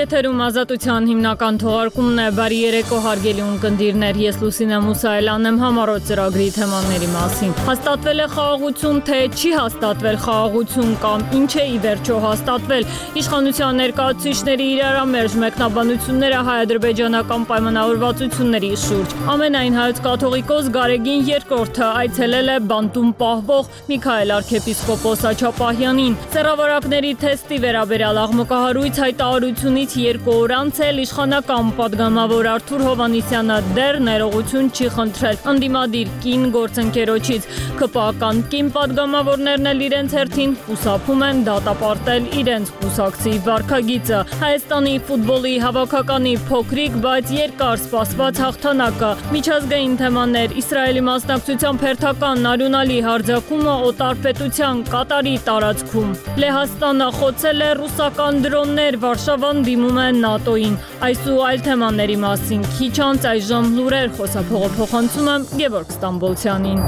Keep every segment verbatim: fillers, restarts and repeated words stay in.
Եթերում ազատության հիմնական թողարկումն է, բարի երեկո հարգելի ունկնդիրներ, ես Լուսինե Մուսայելյանն եմ համառոտ ծրագրի թեմաների մասին։ Հաստատվել է խաղաղություն, թե չի հաստատվել խաղաղություն կամ ինչ է ի վերջո հաստատվել, իշխանության ներկայացուցիչների իրարամերժ մեկնաբանությունները հայ-ադրբեջանական պայմանավորվածությունների շուրջ։ Ամենայն հայոց կաթողիկոս Գարեգին երկրորդը այցելել է բանտում պահվող Միքայել arczepiskopos Աչապահյանին։ Սեռավարակների թեստի վերաբերյալ աղմկահարույց հայտարարությունից երկու օր անց էլ իշխանական պատգամավոր Արթուր Հովհաննիսյանը դեռ ներողություն չի խնդրել ընդդիմադիր կին գործընկերոջից։ ՔՊԱ-ական կին պատգամավորներն էլ իրենց հերթին խուսափում են դատապարտել իրենց կուսակցի վարքագիծը։ Հայաստանի ֆուտբոլի հավաքականի փոքրիկ, բայց երկար սպասված հաղթանակը, միջազգային թեմաներ, Իսրայելի մասնակցությամբ հերթական արյունալի հարձակումը օտարպետության Կատարի տարածքում։ Լեհաստանը խոցել է ռուսական դրոններ, Վարշավան դիմում է ՆԱՏՕ-ին։ Այս ու այլ թեմաների մասին քիչ անց այժմ լուրեր խոսափողը փոխանցում եմ Գևորգ Ստամբոլցյանին։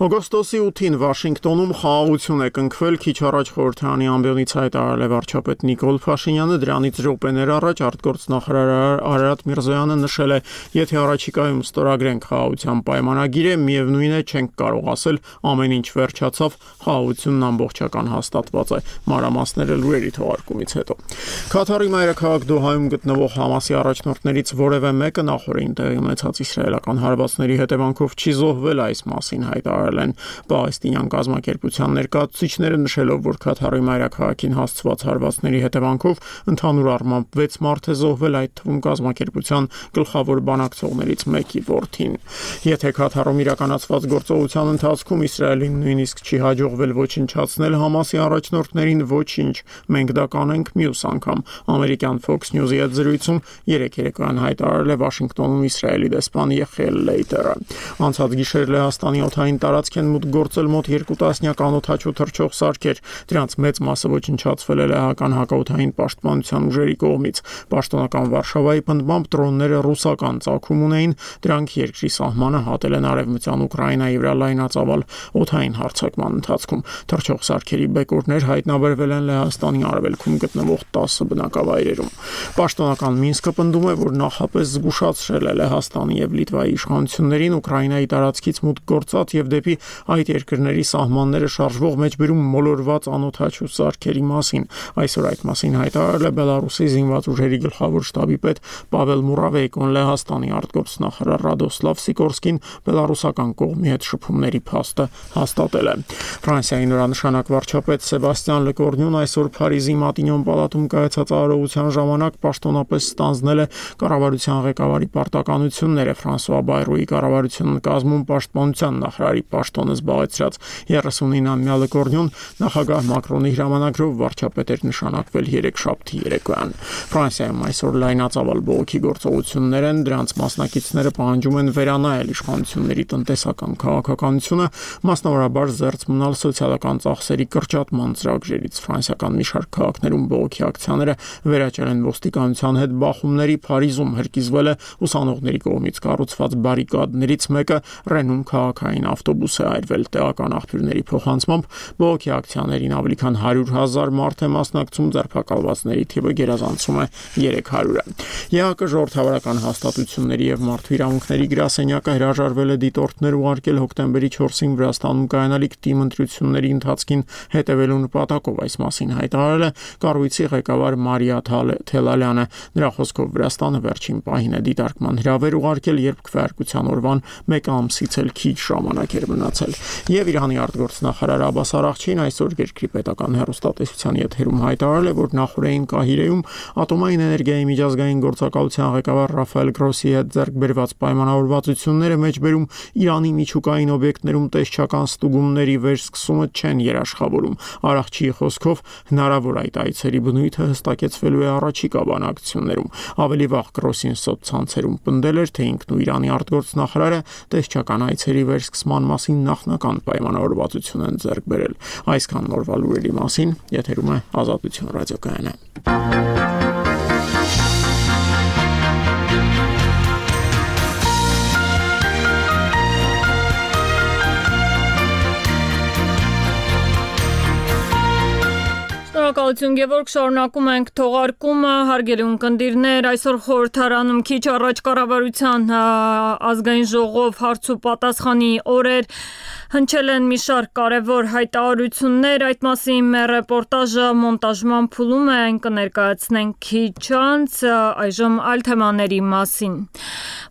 Օգոստոսի ութին Վաշինգտոնում խաղաղություն է կնքվել, քիչ առաջ խորհրդարանի ամբիոնից հայտարարել է վարչապետ Նիկոլ Փաշինյանը, դրանից րոպեներ առաջ արտգործնախարար Արարատ Միրզոյանը նշել է, եթե առաջիկայում ստորագրենք խաղաղության պայմանագիրը, միևնույն է չենք կարող ասել ամեն ինչ վերջացավ, խաղաղությունն ամբողջական հաստատված է։ Մանրամասները լուրերի թողարկումից հետո։ Քաթարի մայրաքաղաք Դոհայում գտնվող Համասի առաջնորդներից որևէ մեկը նախորդին տեղի ունեցած իսրայելական հարվածների հետևանքով չի զոհվել, այս մասին հայտարարել են պաղեստինյան կազմակերպության ներկայացուցիչները, նշելով, որ Քաթարի մայրաքաղաքին հասցված հարվածների հետևանքով ընդհանուր առմամբ վեց մարդ է զոհվել, այդ թվում կազմակերպության գլխավոր բանակցողներից մեկի որդին։ Եթե Քաթարում իրականացված գործողության ընթացքում Իսրայելին նույնիսկ չի հաջողվել ոչնչացնել Համասի առաջնորդներին, ոչինչ, մենք դա կանենք մյուս անգամ, ամերիկյան Fox News-ի հետ զրույցում երեկ երեկոյան հայտարարել է Վաշինգտոնում Իսրայելի դեսպան Յեխիել Լեյտերը։ Անցած գիշեր Լեհաստանի օդային տարածք են մուտք գործել մոտ երկու տասնյակ անօդաչու թռչող սարքեր, դրանց մեծ մասը ոչնչացվել է լեհական հակաօդային պաշտպանության ուժերի կողմից։ Պաշտոնական Վարշավայի պնդմամբ դրոնները ռուսական ծագում ունեին, դրանք երկրի սահմանը հատել են արևմտյան Ուկրաինայի վրա լայնածավալ օդային հարձակման ընթացքում։ Թռչող սարքերի բեկորներ հայտնաբերվել են Լեհաստանի արևելքում գտնվող տասը բնակավայրերում։ Պաշտոնական Մինսկը պնդում է, որ նախապես զգուշացրել է Լեհաստանի եւ Լիտվայի իշխանություններին Ուկրաինայի տարածքից մուտք գործած եւ դեպի այդ երկրների սահմանները շարժվող մեջբերում մոլորված անօդաչու սարքերի մասին։ Այսօր այդ մասին հայտարարել է Բելարուսի զինված ուժերի գլխավոր շտաբի պետ Պավել Մուրավեյկոն, Լեհաստանի արտգործնախարար Ռադոսլավ Սիկորսկին բելարուսական կողմի հետ շփումների փաստը հաստատել է։ Ֆրանսիայի նորանշանակ վարչապետ Սեբաստիան Լեկորնյուն այսօր Փարիզի Մատինյոն պալատում կայացած արարողության ժամանակ պաշտոնապես ստանձնել է կառավարության ղեկավարի պարտականությունները։ Ֆրանսուଆ Բայրոյի կառավարությունն կազմում պաշտպանության նախարարի պաշտոնը զբաղեցրած երեսունինամյա Լեկորնյուն նախագահ Մակրոնի հրամանագրով վարչապետ էր նշանակվել երեքշաբթի երեկոյան։ Ֆրանսիայում այսօր լայնածավալ բողոքի գործողություններ են, դրանց մասնակիցները պահանջում են վերանայել իշխանությունների տնտեսական քաղաքականությունը, մասնավորաբար զերծ մնալ սոցիալական ծախսերի կրճատման ծրագրերից։ Ֆրանսիական մի շարք քաղաքներում բողոքի ակցիաները վերաճել են ոստիկանության հետ բախումների։ Փարիզում հրկիզվել է ուսանողների կողմից կառուցված բարիկադներից մեկը, Ռենում քաղաքային ավտոբուս է այրվել։ Տեղական աղբյուրների փոխանցմամբ բողոքի ակցիաներին ավելի քան հարյուր հազար մարդ է մասնակցում, ձերբակալվածների թիվը գերազանցում է երեք հարյուրը։ ԵԱԿ ժողովրդավարական հաստատությունների եւ մարդու իրավունքների գրասենյակը հրաժարվել է դիտորդներ ուղարկել հոկտեմբերի չորսին Վրաստանում կայանալիք թիմ ընտրությունների ընթացքին հետևելու նպատակով, այս մասին հայտարարել է կառույցի ղեկավար Մարիա Թելալյանը։ Նրա խոսքով Վրաստանը վերջին պահին է դիտարկման հրավեր ուղարկել, երբ քվեարկության օրվան մեկ ամսից էլ քիչ ժամանակ էր մնացել։ Եվ Իրանի արտգործնախարար Աբբաս Արաղչին այսօր երկրի պետական հեռուստատեսության եթերում հայտարարել է, որ նախորդային Կահիրեում ատոմային էներգիայի միջազգային գործակալության ղեկավար Ռաֆայել Գրոսի հետ ձեռք բերված պայմանավորվածությունները մեջբերում Իրանի միջուկային օբյեկտներում տեսչական ստուգումների վերսկսումը չեն երաշխավորում։ Արաղչիի խոսքով հնարավոր այդ այցերի բնույթը հստակեցվելու է առաջիկա բանակցություններում։ Ավելի վաղ Գրոսին սոցցանցերում պնդել էր, թե ինքն ու Իրանի արտգործնախարարը տեսչական այցերի վերսկսման մասին նախնական պայմանավորվածություն են ձեռք բերել։ Այսքան նորվա լուրերի մասին, եթերում է Ազատություն ռադիոկայանը։ Շնորհակալություն Գևորգ, շարունակում ենք թողարկումը, հարգելի ունկնդիրներ, այսօր խորհրդարանում քիչ առաջ կառավարության ազգային ժողով հարց ու պատասխանի օրեր հնչել են մի շարք կարևոր հայտարարություններ, այդ մասին մեր ռեպորտաժը մոնտաժման փուլում է, այն կներկայացնենք քիչ անց, այժմ այլ թեմաների մասին։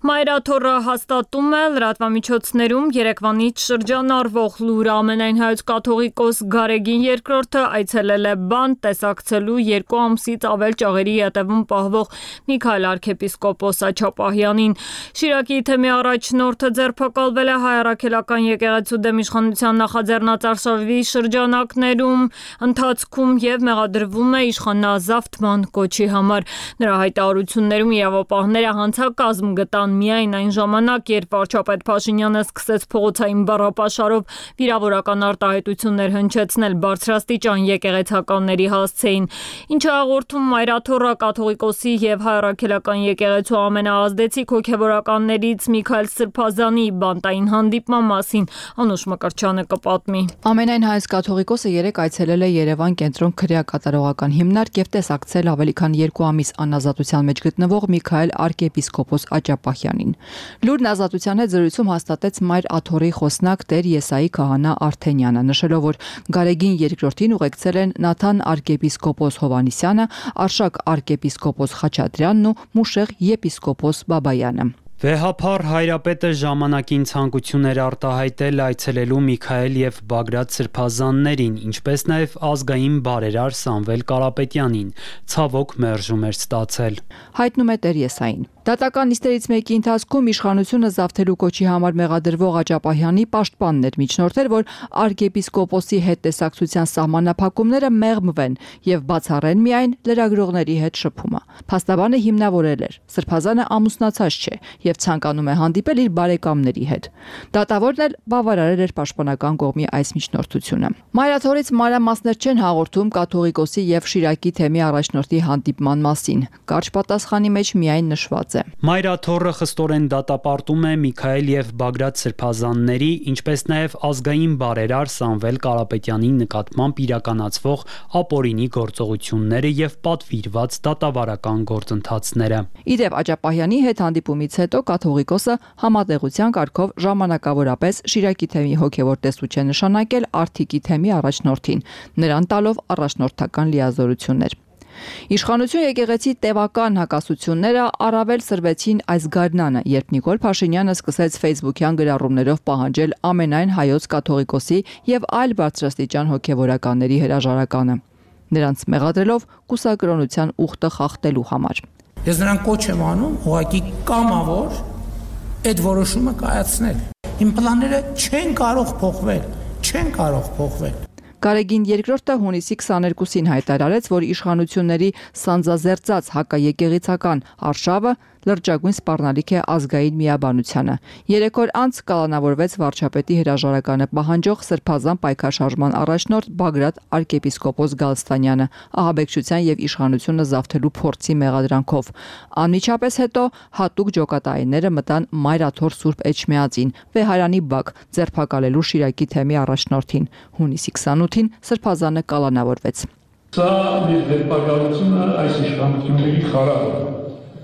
Մայրաթորը հաստատում է լրատվամիջոցներում Երևանից շրջանառվող լուր ամենայն հայոց կաթողիկոս Գարեգին երկրորդը այցելել է բանտ տեսակցելու երկու ամսից ավել ճաղերի ետևում պահվող Միքայել arczepiskopos Աչապահյանին։ Շիրակի թեմի առաջնորդը ձերբակալվել է Հայ առաքելական եկեղեցու դեմ իշխանության նախաձեռնածարշավի շրջանակներում ընթացքում եւ մեղադրվում է իշխանազավթման կոչի համար։ Նրա հայտարարություններում իրավապահները հանցակազմ գտան միայն այն ժամանակ, երբ վարչապետ Փաշինյանը սկսեց փողոցային բառապաշարով վիրավորական արտահայտություններ հնչեցնել բարձրաստիճան եկեղեցականների հասցեին, ինչը հաղորդում Մայրաթորը կաթողիկոսի եւ Հայ առաքելական եկեղեցու ամենաազդեցիկ հոգեվորականներից Միքայել Սրբազանի բանտային հանդիպման մասին Անուշ Մկրտչյանը կպատմի։ Ամենայն հայոց կաթողիկոսը երեկ այցելել է Երևան կենտրոն քրեակատարողական հիմնարկ եւ տեսակցել ավելի քան երկու ամիս անազատության մեջ գտնվող Միքայել arczepiskopos Աչապահյանին։ Լուրն ազատության հետ զրույցում հաստատեց Մայր Աթոռի խոսնակ Տեր Եսայի քահանա Արթենյանը, նշելով, որ Գարեգին երկրորդին ուղեկցել են Նաթան arczepiskopos Հովանիսյանը, Արշակ arczepiskopos Խաչատրյանն ու Մուշեղ եպիսկոպոս Բաբայանը։ Վեհափառ հայրապետը ժամանակին ցանկություն էր արտահայտել այցելելու Միքայել եւ Բագրատ Սրբազաններին, ինչպես նաեւ ազգային բարերար Սամվել Կարապետյանին, ցավոք մերժում էր ստացել։ Հայտնում է Տեր Եսային։ Դատական նիստերից մեկի ընթացքում իշխանությունը զավթելու կոչի համար մեղադրվող Աչապահյանի պաշտպանն էր միջնորդել, որ arczepiskopos-ի հետ տեսակցության սահմանափակումները մեղմվեն եւ բացառեն միայն լրագրողների հետ շփումը։ Փաստաբանը հիմնավորել էր. Սրբազանը ամուսնացած չէ եւ ցանկանում է հանդիպել իր բարեկամների հետ։ Դատավորն էլ բավարարել էր պաշտպանական կողմի այս միջնորդությունը։ Մայրաթորից մանրամասներ չեն հաղորդում կաթողիկոսի եւ Շիրակի թեմի առաջնորդի հանդիպման մասին։ Կարճ պատասխանի մեջ միայն նշված է. Մայրաթորը խստորեն դատապարտում է Միքայել եւ Բագրատ Սրբազանների, ինչպես նաեւ ազգային բարերար Սամվել Կարապետյանի նկատմամբ իրականացվող ապօրինի գործողությունները եւ պատվիրված դատավարական գործընթացները։ Իդեպ Աչապահյանի հետ հանդիպումից հետո կաթողիկոսը համատեղության կարգով ժամանակավորապես Շիրակի թեմի հոգևոր տեսուչ է նշանակել Արթիկի թեմի առաջնորդին, նրան տալով առաջնորդական լիազորություններ։ Իշխանություն եկեղեցի տևական հակասությունները առավել սրվեցին այս գարնանը, երբ Նիկոլ Փաշինյանը սկսեց Facebook-յան գրառումներով պահանջել ամենայն հայոց կաթողիկոսի եւ այլ բարձրաստիճան հոգևորականների հրաժարականը, նրանց մեղադրելով կուսակրոնության ուխտը խախտելու համար։ Ես նրան կոչ եմ անում ուղղակի կամավոր այդ որոշումը կայացնել։ Իմ պլանները չեն կարող փոխվել, չեն կարող փոխվել։ Գարեգին երկրորդը հունիսի քսաներկուսին հայտարարեց, որ իշխանությունների սանձազերծած հակաեկեղեցական արշավը լրջագույն սպառնալիք է ազգային միաբանությանը։ Երեք օր անց կալանավորվեց վարչապետի հրաժարականը պահանջող Սրբազան պայքարշարժման առաջնորդ Բագրատ arczepiskopos Գալստանյանը ահաբեկչության եւ իշխանությունը զավթելու փորձի մեղադրանքով։ Անմիջապես հետո հատուկ ջոկատայինները մտան Մայրաթոր Սուրբ Էջմիածին, Վեհարանի բակ, ձերբակալելու Շիրակի թեմի առաջնորդին։ Հունիսի քսանութին Սրբազանը կալանավորվեց։ Սա մեր ձերբակալությունը այս իշխանությունների խարավ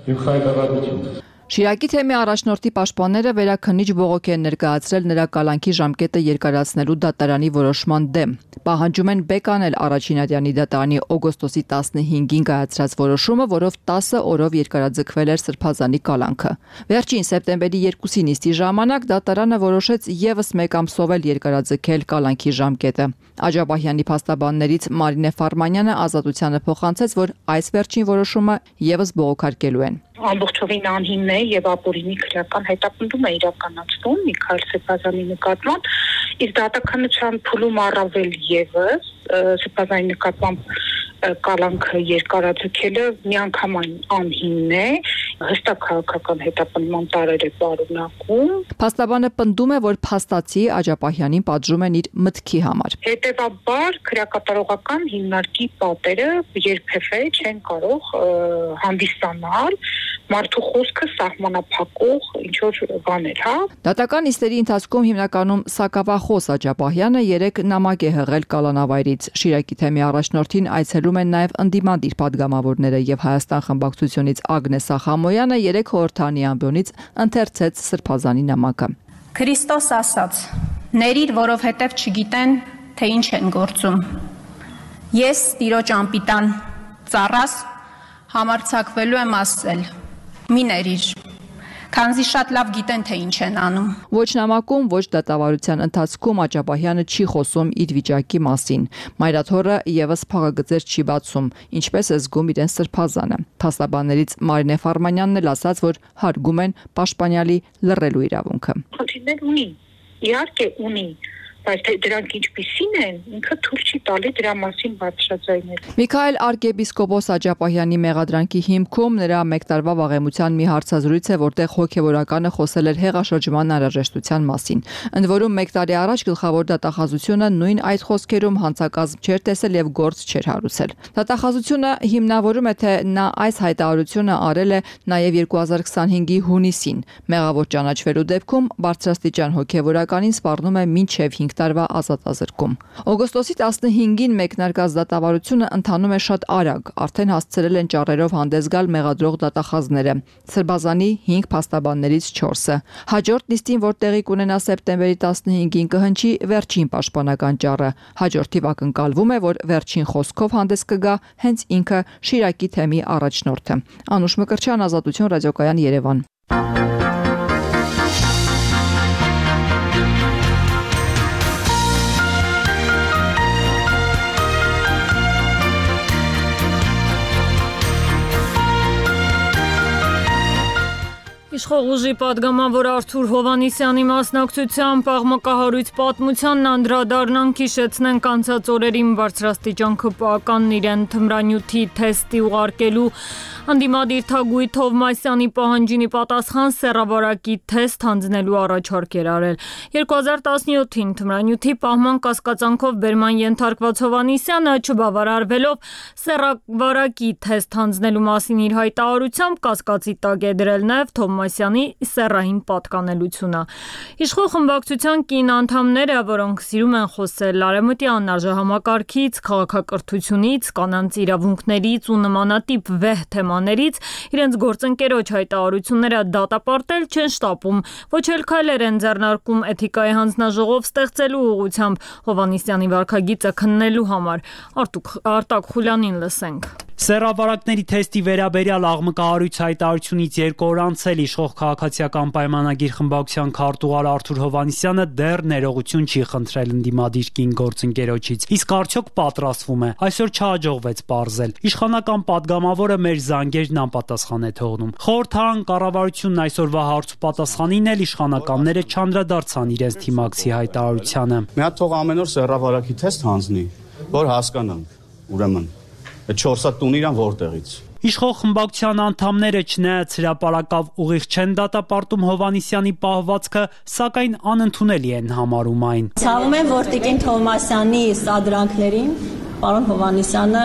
եւ խայտարակություն։ Շիրակի թեմի առաջնորդի պաշտպանները վերաքննիչ բողոք են ներկայացրել նրա կալանքի ժամկետը երկարացնելու դատարանի որոշման դեմ։ Պահանջում են բեկանել Առաջինատյանի դատարանի օգոստոսի տասնհինգին կայացրած որոշումը, որով տասը օրով երկարաձգվել էր Սրբազանի կալանքը։ Վերջին սեպտեմբերի երկուսի նիստի ժամանակ դատարանը որոշեց եւս մեկ ամսով էլ երկարաձգել կալանքի ժամկետը։ Աջապահյանի փաստաբաններից Մարինե Ֆարմանյանը ազատությանը փոխանցեց, որ այս վերջին որոշումը եւս բողոքարկելու են։ Ամբողջովին անհիմն է եւ ապօրինի քրեական հետապնդում է իրականացվում Միքայել Սրբազանի նկատմամբ, իսկ դատականության փուլում առավել եւս Սրբազանի նկատմամբ կալանքը երկարաձգելը միանգամայն անհիմն է հստակ քաղաքական հետապնդման տարեր է պարունակում։ Փաստաբանը պնդում է, որ փաստացի Աջապահյանին պատժում են իր մտքի համար։ Հետևաբար քրեակատարողական հիմնարկի պատերը երբևէ չեն կարող հանդիսանալ մարդու խոսքը սահմանափակող ինչ որ բաներ, հա։ Դատական նիստերի ընթացքում հիմնականում սակավախոս Աջապահյանը երեք նամակ է հղել կալանավայրից։ Շիրակի թեմի առաջնորդին այցելում են նաև ընդդիմադիր падգամավորները եւ Հայաստան խմբակցությունից Ագնես Ախամոյանը երեք խորհրդանի ամբիոնից ընթերցեց Սրբազանի նամակը։ Քրիստոս ասաց. «Ներիր, որովհետև չգիտեն, թե ինչ են գործում։ Ես Տիրոջ անպիտան ծառաս համարձակվելու եմ ասել. մի ներիր, քանզի շատ լավ գիտեն, թե ինչ են անում»։ Ոչ նամակում, ոչ դատավարության ընթացքում Աջապահյանը չի խոսում իր վիճակի մասին։ Մայրաթորը եւս փաղագծեր չի բացում, ինչպես է զգում իրեն Սրբազանը։ Փաստաբաններից Մարինե Ֆարմանյանն էլ ասաց, որ հարգում են պաշտպանյալի լռելու իրավունքը։ Խնդիրներ ունի, իհարկե ունի, բայց թե դրանք ինչպիսին են, ինքը թույլ չի տալի դրա մասին բարձրաձայնել։ Միքայել arczepiskopos Աջապահյանի մեղադրանքի հիմքում նրա մեկ տարվա վաղեմության մի հարցազրույց է, որտեղ հոգևորականը խոսել էր հեղաշրջման անհրաժեշտության մասին։ Ընդ որում մեկ տարի առաջ գլխավոր դատախազությունը նույն այդ խոսքերում հանցակազմ չէր տեսել եւ գործ չէր հարուցել։ Դատախազությունը հիմնավորում է, թե նա այս հայտարարությունը արել է նաեւ երկու հազար քսանհինգի հունիսին։ Մեղավոր ճանաչվելու դեպքում բարձրաստիճան հոգևորականին սպառնում է մինչեւ հինգ տարվա ազատազրկում։ Օգոստոսի տասնհինգին մեկնարկած դատավարությունը ընթանում է շատ արագ, արդեն հասցրել են ճառերով հանդես գալ մեղադրող դատախազները։ Սրբազանի հինգ փաստաբաններից չորսը։ Հաջորդ նիստին, որ տեղի կունենա սեպտեմբերի տասնհինգին, կհնչի վերջին պաշտպանական ճառը։ Հաջորդ թիվ ակնկալվում է, որ վերջին խոսքով հանդես կգա հենց ինքը Շիրակի թեմի առաջնորդը։ Անուշ Մկրտչյան, Ազատություն, ռադիոկայան, Երևան։ Իշխող ուժի падգամավոր Արթուր Հովհաննիսյանի մասնակցությամբ աղմկահարույց պատմությանն անդրադառնանք, հիշեցնենք անցած օրերին բարձրաստիճան քպականն իրեն թմրանյութի թեստի ուղարկելու Անդիմադիր Թագուհի Թովմասյանի պահանջինի պատասխան սեռավարակի թեստ հանձնելու առաջարկ էր արել։ երկու հազար տասնյոթին թմրանյութի պահման կասկածանքով բերման ենթարկված Հովհաննիսյանը չբավարարվելով սեռավարակի թեստ հանձնելու մասին իր հայտարարությամբ կասկածի տակ է դրել նաև Թովմասյանի սեռային պատկանելությունը։ Իշխող խմբակցության կին անդամները, որոնք սիրում են խոսել արևմտյան արժեհամակարգից, քաղաքակրթությունից, կանանց իրավունքներից ու նմանատիպ վեհ թեմաներից, իրենց գործընկերոջ հայտարարությունները դատապարտել չեն շտապում, ոչ էլ քայլեր են ձեռնարկում էթիկայի հանձնաժողով ստեղծելու ուղղությամբ Հովհաննիսյանի վարքագիծը քննելու համար։ Արտակ Խուլյանին լսենք։ Սեռավարակների թեստի վերաբերյալ աղմկահարույց հայտարարությունից երկու օր անցել իշխող քաղաքացիական պայմանագիր խմբակցության քարտուղար Արթուր Հովհաննիսյանը դեռ ներողություն չի խնդրել ընդդիմադիր կին գործընկերոջից, իսկ արդյոք պատրաստվում է, այսօր չհաջողվեց պարզել։ Իշխանական падգամավորը մեր զանգերն անպատասխան է թողնում։ Խորհրդարան կառավարությունն այսօրվա հարց ու պատասխանին էլ իշխանականները չանդրադարձան իրենց թիմակցի հայտարարությանը։ Մի հատ թող ամեն օր սեռավարակի թեստ հանձնի, որ հասկանանք, ուրեմն չորս հատ տուն իրան որտեղից։ Իշխող խմբակցության անդամները չնայած հրապարակավ ուղիղ չեն դատապարտում Հովհաննիսյանի պահվածքը, սակայն անընդունելի են համարում այն։ Ցավում եմ, որ Տիկին Թովմասյանի սադրանքներին պարոն Հովհաննիսյանը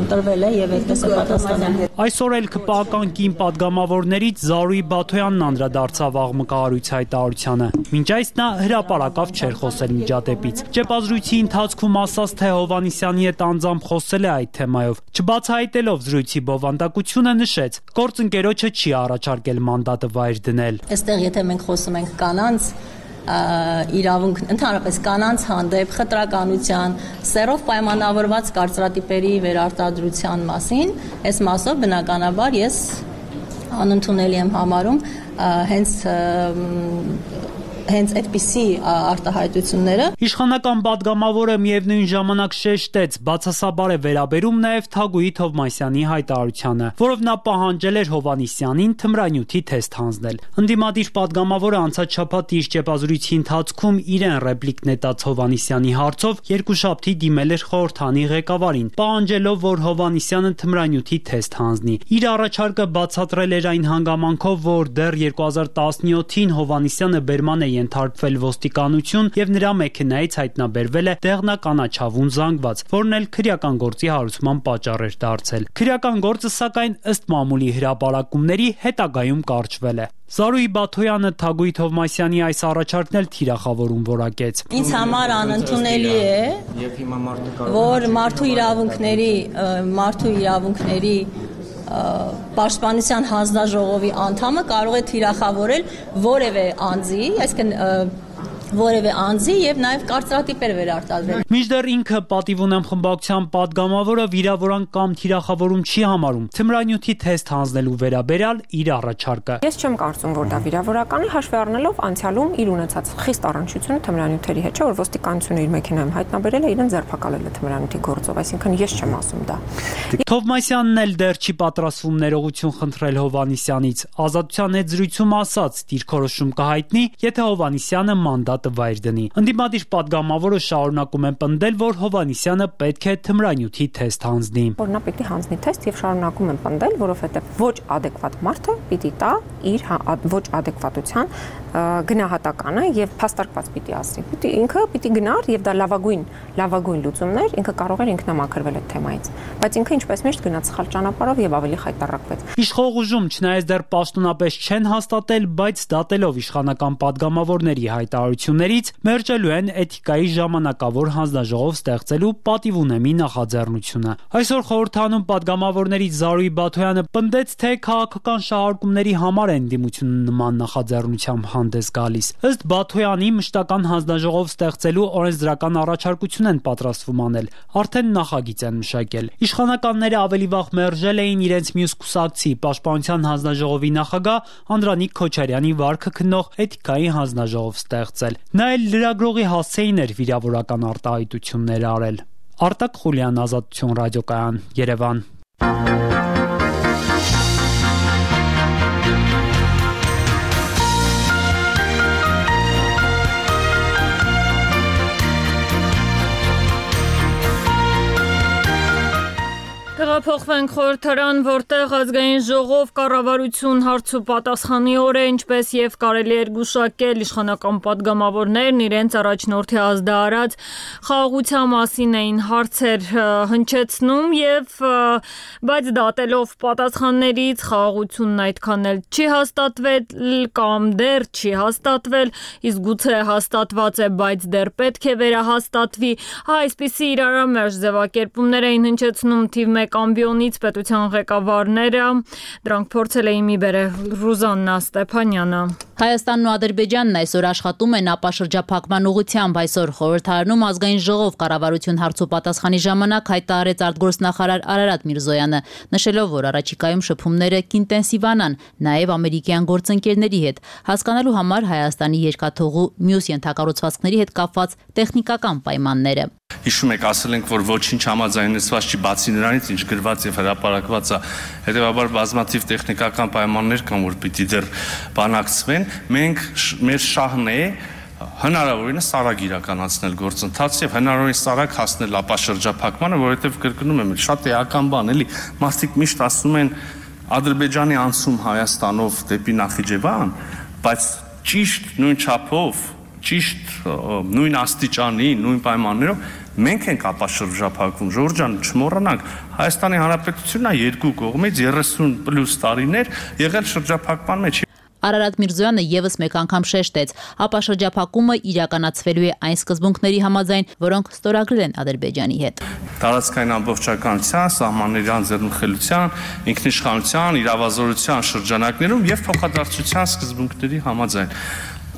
տրվել է եւ այդպես է պատասխանել։ Այսօր էլ քպական կին падգամավորներից Զարուհի Բաթոյանն անդրադարձավ աղմկահարույց հայտարարությանը։ Մինչ այս նա հրապարակավ չէր խոսել միջադեպից։ Ճեպազրույցի ընթացքում ասաց, թե Հովհաննիսյանի հետ անձամբ խոսել է այդ թեմայով։ Չբացահայտելով զրույցի բովանդակությունը նշեց, գործընկերոջը չի առաջարկել մանդատը վայր դնել։ Այստեղ եթե մենք խոսում ենք կանանց իրավունք, ընդհանրապես կանանց հանդեպ խտրականության, սեռով պայմանավորված կարծրատիպերի վերարտադրության մասին, այս մասով բնականաբար ես անընդունելի եմ համարում հենց հենց այդպիսի արտահայտությունները։ Իշխանական պատգամավորը միևնույն ժամանակ շեշտեց, բացասաբար է վերաբերում նաև Թագուհի Թովմասյանի հայտարարությանը, որով նա պահանջել էր Հովհաննիսյանին թմրանյութի թեստ հանձնել։ Ընդդիմադիր պատգամավորը անցած շաբաթ իր ճեպազրույցի ընթացքում իրեն ռեպլիկ նետած Հովհաննիսյանի հարցով երկուշաբթի դիմել էր խորհրդանի ղեկավարին, պահանջելով, որ Հովհաննիսյանը թմրանյութի թեստ հանձնի։ Իր առաջարկը բացատրել էր այն հանգամանքով, որ դեռ երկու հազար տասնյոթին Հովհաննիսյանը բերման է ենթարկվել ոստիկանություն եւ նրա մեքենայից հայտնաբերվել է դեղնականաչավուն զանգված, որն էլ քրեական գործի հարուցման պատճառ էր դարձել։ Քրեական գործը, սակայն, ըստ մամուլի հրապարակումների, հետագայում կարճվել է։ Զարուհի Բաթոյանը Թագուհի Թովմասյանի այս առաջարկն էլ թիրախավորում որակեց։ Ինձ համար անընդունելի է, որ մարդու իրավունքների մարդու իրավունքների պաշտպանության հանձնաժողովի անդամը կարող է թիրախավորել որևէ անձի, այսինքն որևէ անձի եւ նաեւ կարծրատիպեր վերարտադրել։ Մինչդեռ ինքը պատիվ ունեմ խմբակցության պատգամավորը վիրավորանք կամ թիրախավորում չի համարում թմրանյութի թեստ հանձնելու վերաբերյալ իր առաջարկը։ Ես չեմ կարծում, որ դա վիրավորական է, հաշվի առնելով անցյալում իր ունեցած խիստ առնչությունը թմրանյութերի հետ, չէ՞ որ ոստիկանությունը իր մեքենայում հայտնաբերել է, իրեն ձերբակալել է թմրանյութի գործով, այսինքն ես չեմ ասում դա։ Թովմասյանն էլ դեռ չի պատրաստվում ներողություն խնդրել Հովհաննիսյանից։ Ազատության հետ զրույցում ասաց, դիրքորոշում կհայտնի, եթե Հովհաննիսյանը մանդատը վայր դնի։ Ընդդիմադիր պատգամավորը շարունակում են պնդել, որ Հովհաննիսյանը պետք է թմրանյութի թեստ հանձնի։ Որ նա պիտի հանձնի թեստ եւ շարունակում են պնդել, որովհետեւ ոչ ադեկվատ մարդը պիտի տա իր ոչ ադեկվատության գնահատականը եւ փաստարկված պիտի ասի։ Պիտի ինքը պիտի գնար եւ դա լավագույն լավագույն լուծումներ ինքը կարող էր ինքնամաքրվել այդ թեմայից, բայց ինքը ինչպես միշտ գնաց սխալ ճանապարհով եւ ավելի խայտարակվեց։ Իշխող ուժում չնայած դեռ պաշտոնապես չեն հաստատել, բայց դատելով իշխանական պատգամավորների հայտարարություններից մերժելու են էթիկայի ժամանակավոր հանձնաժողով ստեղծելու պատիվ ունեմի նախաձեռնությունը։ Այսօր խորհրդանում պատգամավորներից Զարուհի Բաթոյանը պնդեց, թե քաղաքական շահարկումների համար են դիմությունը նման նախաձեռնությամբ հանդես գալիս։ Ըստ Բաթոյանի, մշտական հանձնաժողով ստեղծելու օրենսդրական առաջարկություն են պատրաստվում անել, արդեն նախագիծ են մշակել։ Իշխանականները ավելի վաղ մերժել էին իրենց մյուս կուսակցի Պաշտպանության հանձնաժողովի նախագահ Անդրանիկ Քոչարյանի վարքը քննող էթիկայի հանձնաժողով ստեղծել։ Նա էլ լրագրողի հասցեին էր վիրավորական արտահայտություններ արել։ Արտակ Խուլյան, Ազատություն ռադիոկայան, Երևան։ Տեղափոխվենք խորհրդարան, որտեղ ազգային ժողով կառավարություն հարց ու պատասխանի օր է, ինչպես եւ կարելի էր գուշակել, իշխանական պատգամավորներն իրենց առաջնորդի ազդարարած խաղաղության մասին էին հարցեր հնչեցնում եւ բայց դատելով պատասխաններից խաղաղությունն այդքան էլ չի հաստատվել կամ դեռ չի հաստատվել, իսկ գուցե հաստատված է, բայց դեռ պետք է վերահաստատվի։ Այսպիսի իրարամերժ ձևակերպումներ էին հնչեցնում թիվ մեկ ամբիոնից պետության ղեկավարները, դրանք փորձել էին մի բերել Ռուզաննա Ստեփանյանը։ Հայաստանն ու Ադրբեջանն այսօր աշխատում են ապաշրջափակման ուղղությամբ։ Այսօր խորհրդարանում ազգային ժողով կառավարություն հարց ու պատասխանի ժամանակ հայտարարեց արտգործնախարար Արարատ Միրզոյանը, նշելով, որ առաջիկայում շփումները կինտենսիվանան, նաև ամերիկյան գործընկերների հետ, հասկանալու համար Հայաստանի երկաթուղու մյուս ենթակառուցվածքների հետ կապված տեխնիկական պայմանները։ Հիշում եք, ասել ենք, որ ոչինչ համաձայնեցված չի բացի նրանից, ինչ գրված եւ հրապարակված է։ Հետեւաբար բազմաթիվ տեխնիկական պայմաններ կան, որ պիտի դեռ բանակցվեն։ Մենք մեր շահն է հնարավորինս արագ իրականացնել գործընթացը եւ հնարավորինս արագ հասնել ապաշրջափակմանը, որովհետեւ կրկնում եմ, շատ էական բան էլի։ Մարդիկ միշտ ասում են Ադրբեջանի անցում Հայաստանով դեպի Նախիջևան, բայց ճիշտ նույն չափով ճիշտ նույն աստիճանի, նույն պայմաններով մենք ենք ապաշրջափակվում։ Ժողովուրդ ջան, չմոռանանք, Հայաստանի Հանրապետությունն է երկու կողմից երեսուն պլյուս տարիներ եղել շրջափակման մեջ։ Արարատ Միրզոյանը եւս մեկ անգամ շեշտեց, ապաշրջափակումը իրականացվելու է այն սկզբունքների համաձայն, որոնք ստորագրել են Ադրբեջանի հետ։ Տարածքային ամբողջականության, սահմանների անձեռնխելության, ինքնիշխանության, իրավազորության շրջանակներում եւ փոխադարձության սկզբունքների համաձայն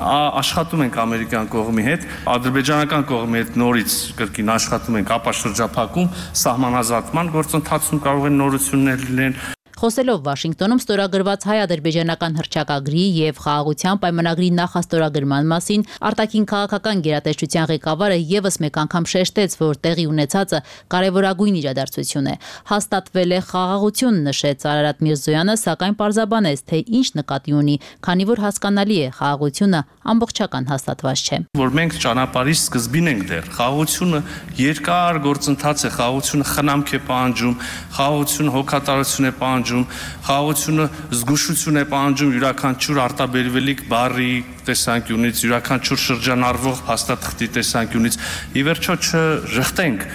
աշխատում ենք ամերիկյան կողմի հետ, ադրբեջանական կողմի հետ նորից կրկին աշխատում ենք ապաշրջափակում, սահմանազատման գործընթացում կարող են նորություններ լինել։ Խոսելով Վաշինգտոնում ստորագրված հայ-ադրբեջանական հռչակագրի եւ խաղաղության պայմանագրի նախաստորագրման մասին արտաքին քաղաքական գերատեսչության ղեկավարը եւս մեկ անգամ շեշտեց, որ տեղի ունեցածը կարևորագույն իրադարձություն է։ Հաստատվել է խաղաղություն, նշեց Արարատ Միրզոյանը, սակայն պարզաբանեց, թե ինչ նկատի ունի, քանի որ հասկանալի է, խաղաղությունը ամբողջական հաստատված չէ։ Որ մենք ճանապարհի սկզբին ենք դեռ, խաղաղությունը երկար գործընթաց է, խաղաղությունը խնամք է պահանջում, խաղաղությունը հոգատարություն է պահանջում, խաղաղությունը զգուշություն է պահանջում յուրաքանչյուր արտաբերվելիք բառի տեսանկյունից, յուրաքանչյուր շրջանառվող փաստաթղթի տեսանկյունից։ Ի վերջո չժխտենք,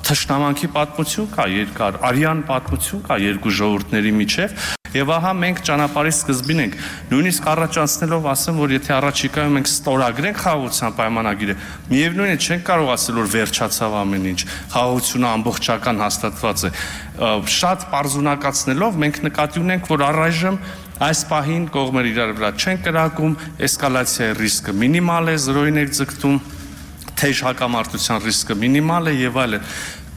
թշնամանքի պատմություն կա երկար, արյան պատմություն կա երկու ժողովուրդների միջև, եւ ահա մենք ճանապարհի սկզբին ենք, նույնիսկ առաջանցնելով ասեմ, որ եթե առաջիկայում մենք ստորագրենք խաղաղության պայմանագիրը, միևնույն է չենք կարող ասել, որ վերջացավ ամեն ինչ, խաղաղությունը ամբողջական հաստատված է։ Շատ պարզունակացնելով մենք նկատի ունենք, որ առայժմ այս պահին կողմերը իրար վրա չեն կրակում, էսկալացիայի ռիսկը մինիմալ է, զրոյին է ձգտում, թեժ հակամարտության ռիսկը մինիմալ է եւ այլն։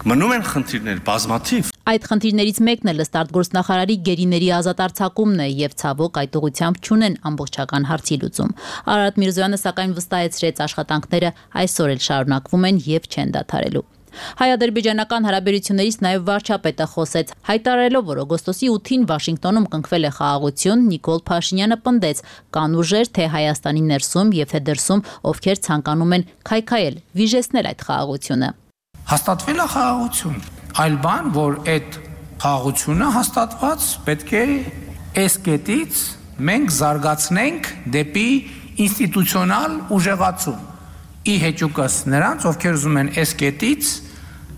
Մնում են խնդիրներ բազմաթիվ։ Այդ խնդիրներից մեկն էլ ըստ արտգործնախարարի գերիների ազատ արձակումն է եւ ցավոք այդ ուղղությամբ չունեն ամբողջական հարցի լուծում։ Արարատ Միրզոյանը սակայն վստահեցրեց աշխատանքները այսօր էլ շարունակվում են եւ չեն դադարելու։ Հայ-ադրբեջանական հարաբերություններից նաև վարչապետը խոսեց, հայտարարելով, որ օգոստոսի ութին Վաշինգտոնում կնքվել է խաղաղություն, Նիկոլ Փաշինյանը պնդեց, կան ուժեր թե Հայաստանի ներսում եւ թե դրսում, ովքեր ցանկանում են քայքայել, վիժեցնել այդ խաղաղությունը։ Հաստատվել է խաղաղություն, այլ բան, որ այդ խաղաղությունը հաստատված պետք է այս կետից մենք զարգացնենք դեպի ինստիտուցիոնալ ուժեղացում։ Ի հեճուկս նրանց, ովքեր ուզում են այս կետից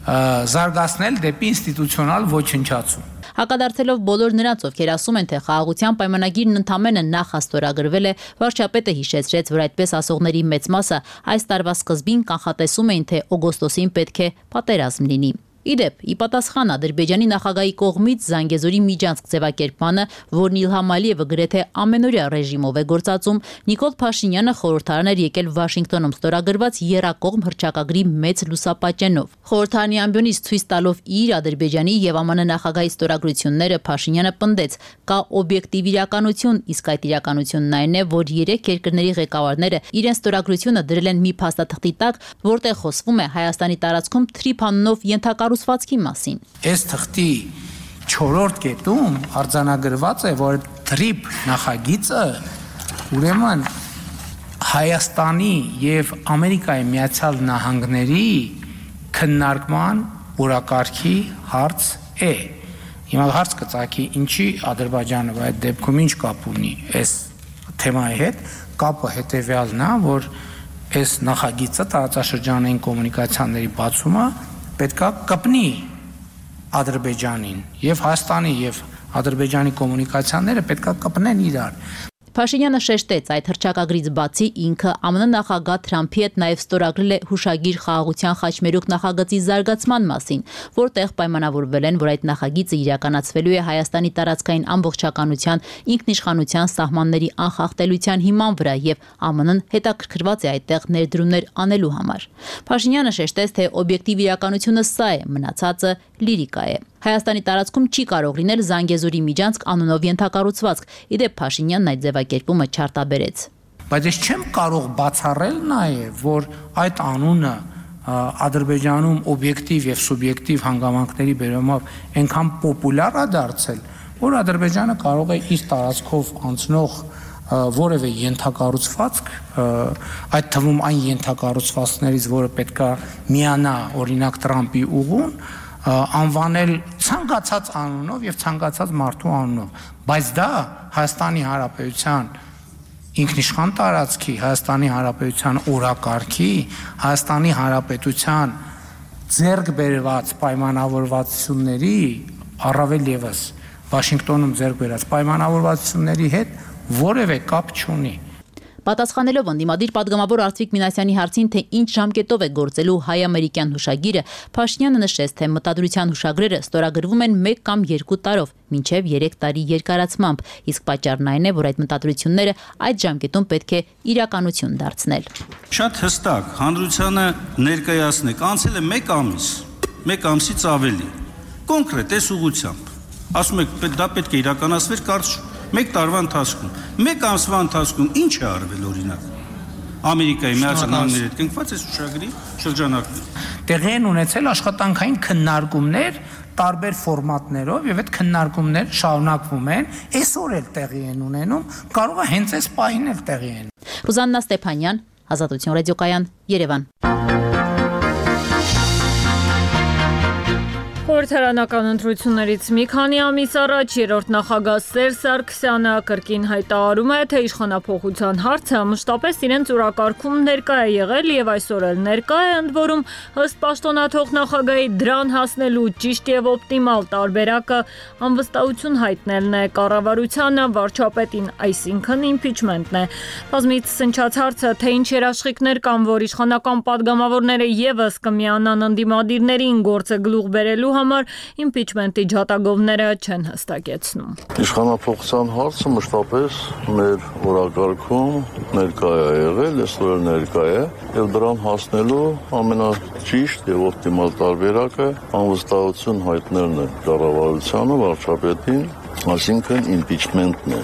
զարգացնել դեպի ինստիտուցիոնալ ոչնչացում։ Հակադարձելով բոլոր նրանց, ովքեր ասում են, թե խաղաղության պայմանագիրն ընդամենը նախաստորագրվել է, վարչապետը հիշեցրեց, որ այդպես ասողների մեծ մասը այս տարվա սկզբին կանխատեսում էին, թե օգոստոսին պետք է պատերազմ լինի։ Իդեպ, ի պատասխան Ադրբեջանի նախագահի կողմից Զանգեզուրի միջանցք ձևակերպմանը, որն Իլհամ Ալիևը գրեթե ամենօրյա ռեժիմով է գործածում, Նիկոլ Փաշինյանը խորհրդարան էր եկել Վաշինգտոնում ստորագրված եռակողմ հռչակագրի մեծ լուսապատճենով։ Խորհրդարանի ամբիոնից ցույց տալով իր Ադրբեջանի եւ ԱՄՆ նախագահի ստորագրությունները, Փաշինյանը պնդեց, կա օբյեկտիվ իրականություն, իսկ այդ իրականությունն այն է, որ երեք երկրների ղեկավարները իրենց ստորագրությունը դրել են մի փաստաթղթի տակ, որտեղ խոսվում է Հայաստանի տարածքում Թրիփաննով ենթակառուցվածքի մասին։ Այս թղթի չորրորդ կետում արձանագրված է, որ Թրիփ նախագիծը ուրեմն Հայաստանի եւ Ամերիկայի Միացյալ Նահանգների քննարկման օրակարգի հարց է։ Հիմա հարց կծագի, ինչի Ադրբեջանը այդ դեպքում ինչ կապ ունի այս թեմայի հետ։ Կապը հետեւյալն է, որ այս նախագիծը տարածաշրջանային կոմունիկացիաների բացումը պետքա կպնի Ադրբեջանին եւ Հայաստանի եւ Ադրբեջանի կոմունիկացիաները պետքա կպնեն իրար։ Փաշինյանը շեշտեց, այդ հռչակագրից բացի ինքը ԱՄՆ նախագահ Թրամփի հետ նաև ստորագրել է հուշագիր խաղաղության խաչմերուկ նախագծի զարգացման մասին, որտեղ պայմանավորվել են, որ այդ նախագիծը իրականացվելու է Հայաստանի տարածքային ամբողջականության, ինքնիշխանության սահմանների անխախտելիության հիման վրա եւ ԱՄՆ-ն հետաքրքրված է այդտեղ ներդրումներ անելու համար։ Փաշինյանը շեշտեց, թե օբյեկտիվ իրականությունը սա է, մնացածը լիրիկա է։ Հայաստանի տարածքում չի կարող լինել Զանգեզուրի միջանցք անունով ենթակառուցվածք։ Իդեպ Փաշինյանն այդ ձևակերպումը չարտաբերեց։ Բայց ես չեմ կարող բացառել նաև, որ այդ անունը Ադրբեջանում օբյեկտիվ եւ սուբյեկտիվ հանգամանքների բերումով այնքան պոպուլյար է դարձել, որ Ադրբեջանը կարող է իր տարածքով անցնող որևէ ենթակառուցվածք, այդ թվում այն ենթակառուցվածքներից, որը պետքա միանա օրինակ Տրամփի ուղուն, անվանել ցանկացած անունով եւ ցանկացած մարդու անունով, բայց դա Հայաստանի Հանրապետության ինքնիշխան տարածքի, Հայաստանի Հանրապետության օրակարգի, Հայաստանի Հանրապետության ձեռք բերված պայմանավորվածությունների, առավել եւս Վաշինգտոնում ձեռք բերած պայմանավորվածությունների հետ որևէ կապ չունի։ Պատասխանելով ընդդիմադիր պատգամավոր Արծվիկ Մինասյանի հարցին, թե ինչ ժամկետով է գործելու հայ-ամերիկյան հուշագիրը, Փաշինյանը նշեց, թե մտադրության հուշագրերը ստորագրվում են մեկ կամ երկու տարով, մինչև երեք տարի երկարացմամբ, իսկ պատճառն այն է, որ այդ մտադրությունները այդ ժամկետում պետք է իրականություն դարձնել։ Շատ հստակ հանրությանը ներկայացնեք, անցել է մեկ ամիս, մեկ ամսից ավելի, կոնկրետ այս ուղղությամբ, ասում եք դա պետք է իրականացվեր կարճ մեկ տարվա ընթացքում, մեկ ամսվա ընթացքում ինչ է արվել օրինակ Ամերիկայի Միացյալ Նահանգների հետ կնքված այս ուշագրի շրջանակներում։ Տեղի են ունեցել աշխատանքային քննարկումներ տարբեր ֆորմատներով եւ այդ քննարկումները շարունակվում են, այսօր էլ տեղի են ունենում, կարող է հենց այս պահին էլ տեղի են։ Ռուզաննա Ստեփանյան, Ազատություն ռադիոկայան, Երևան։ Խորհրդարանական ընտրություններից մի քանի ամիս առաջ երրորդ նախագահ Սերժ Սարգսյանը կրկին հայտարարում է, թե իշխանափոխության հարցը մշտապես իրենց օրակարգում ներկա է եղել եւ այսօր էլ ներկա է, ընդ որում ըստ պաշտոնաթող նախագահի դրան հասնելու ճիշտ եւ օպտիմալ տարբերակը անվստահություն հայտնելն է կառավարությանը, վարչապետին, այսինքն իմպիչմենտն է։ Բազմից սնչած հարցը, թե ինչ երաշխիքներ կան, որ իշխանական падգամավորները եւս կմիանան ընդդիմադիրներին գործը գլուխ բերելու համար իմպիչմենտի ջատագովները չեն հստակեցնում։ Իշխանափոխության հարցը մշտապես մեր օրակարգում ներկա է եղել, այսօր ներկա է, եւ դրան հասնելու ամենաճիշտ եւ օպտիմալ տարբերակը անվստահություն հայտնելն է կառավարությանը, վարչապետին, այսինքն իմպիչմենտն է։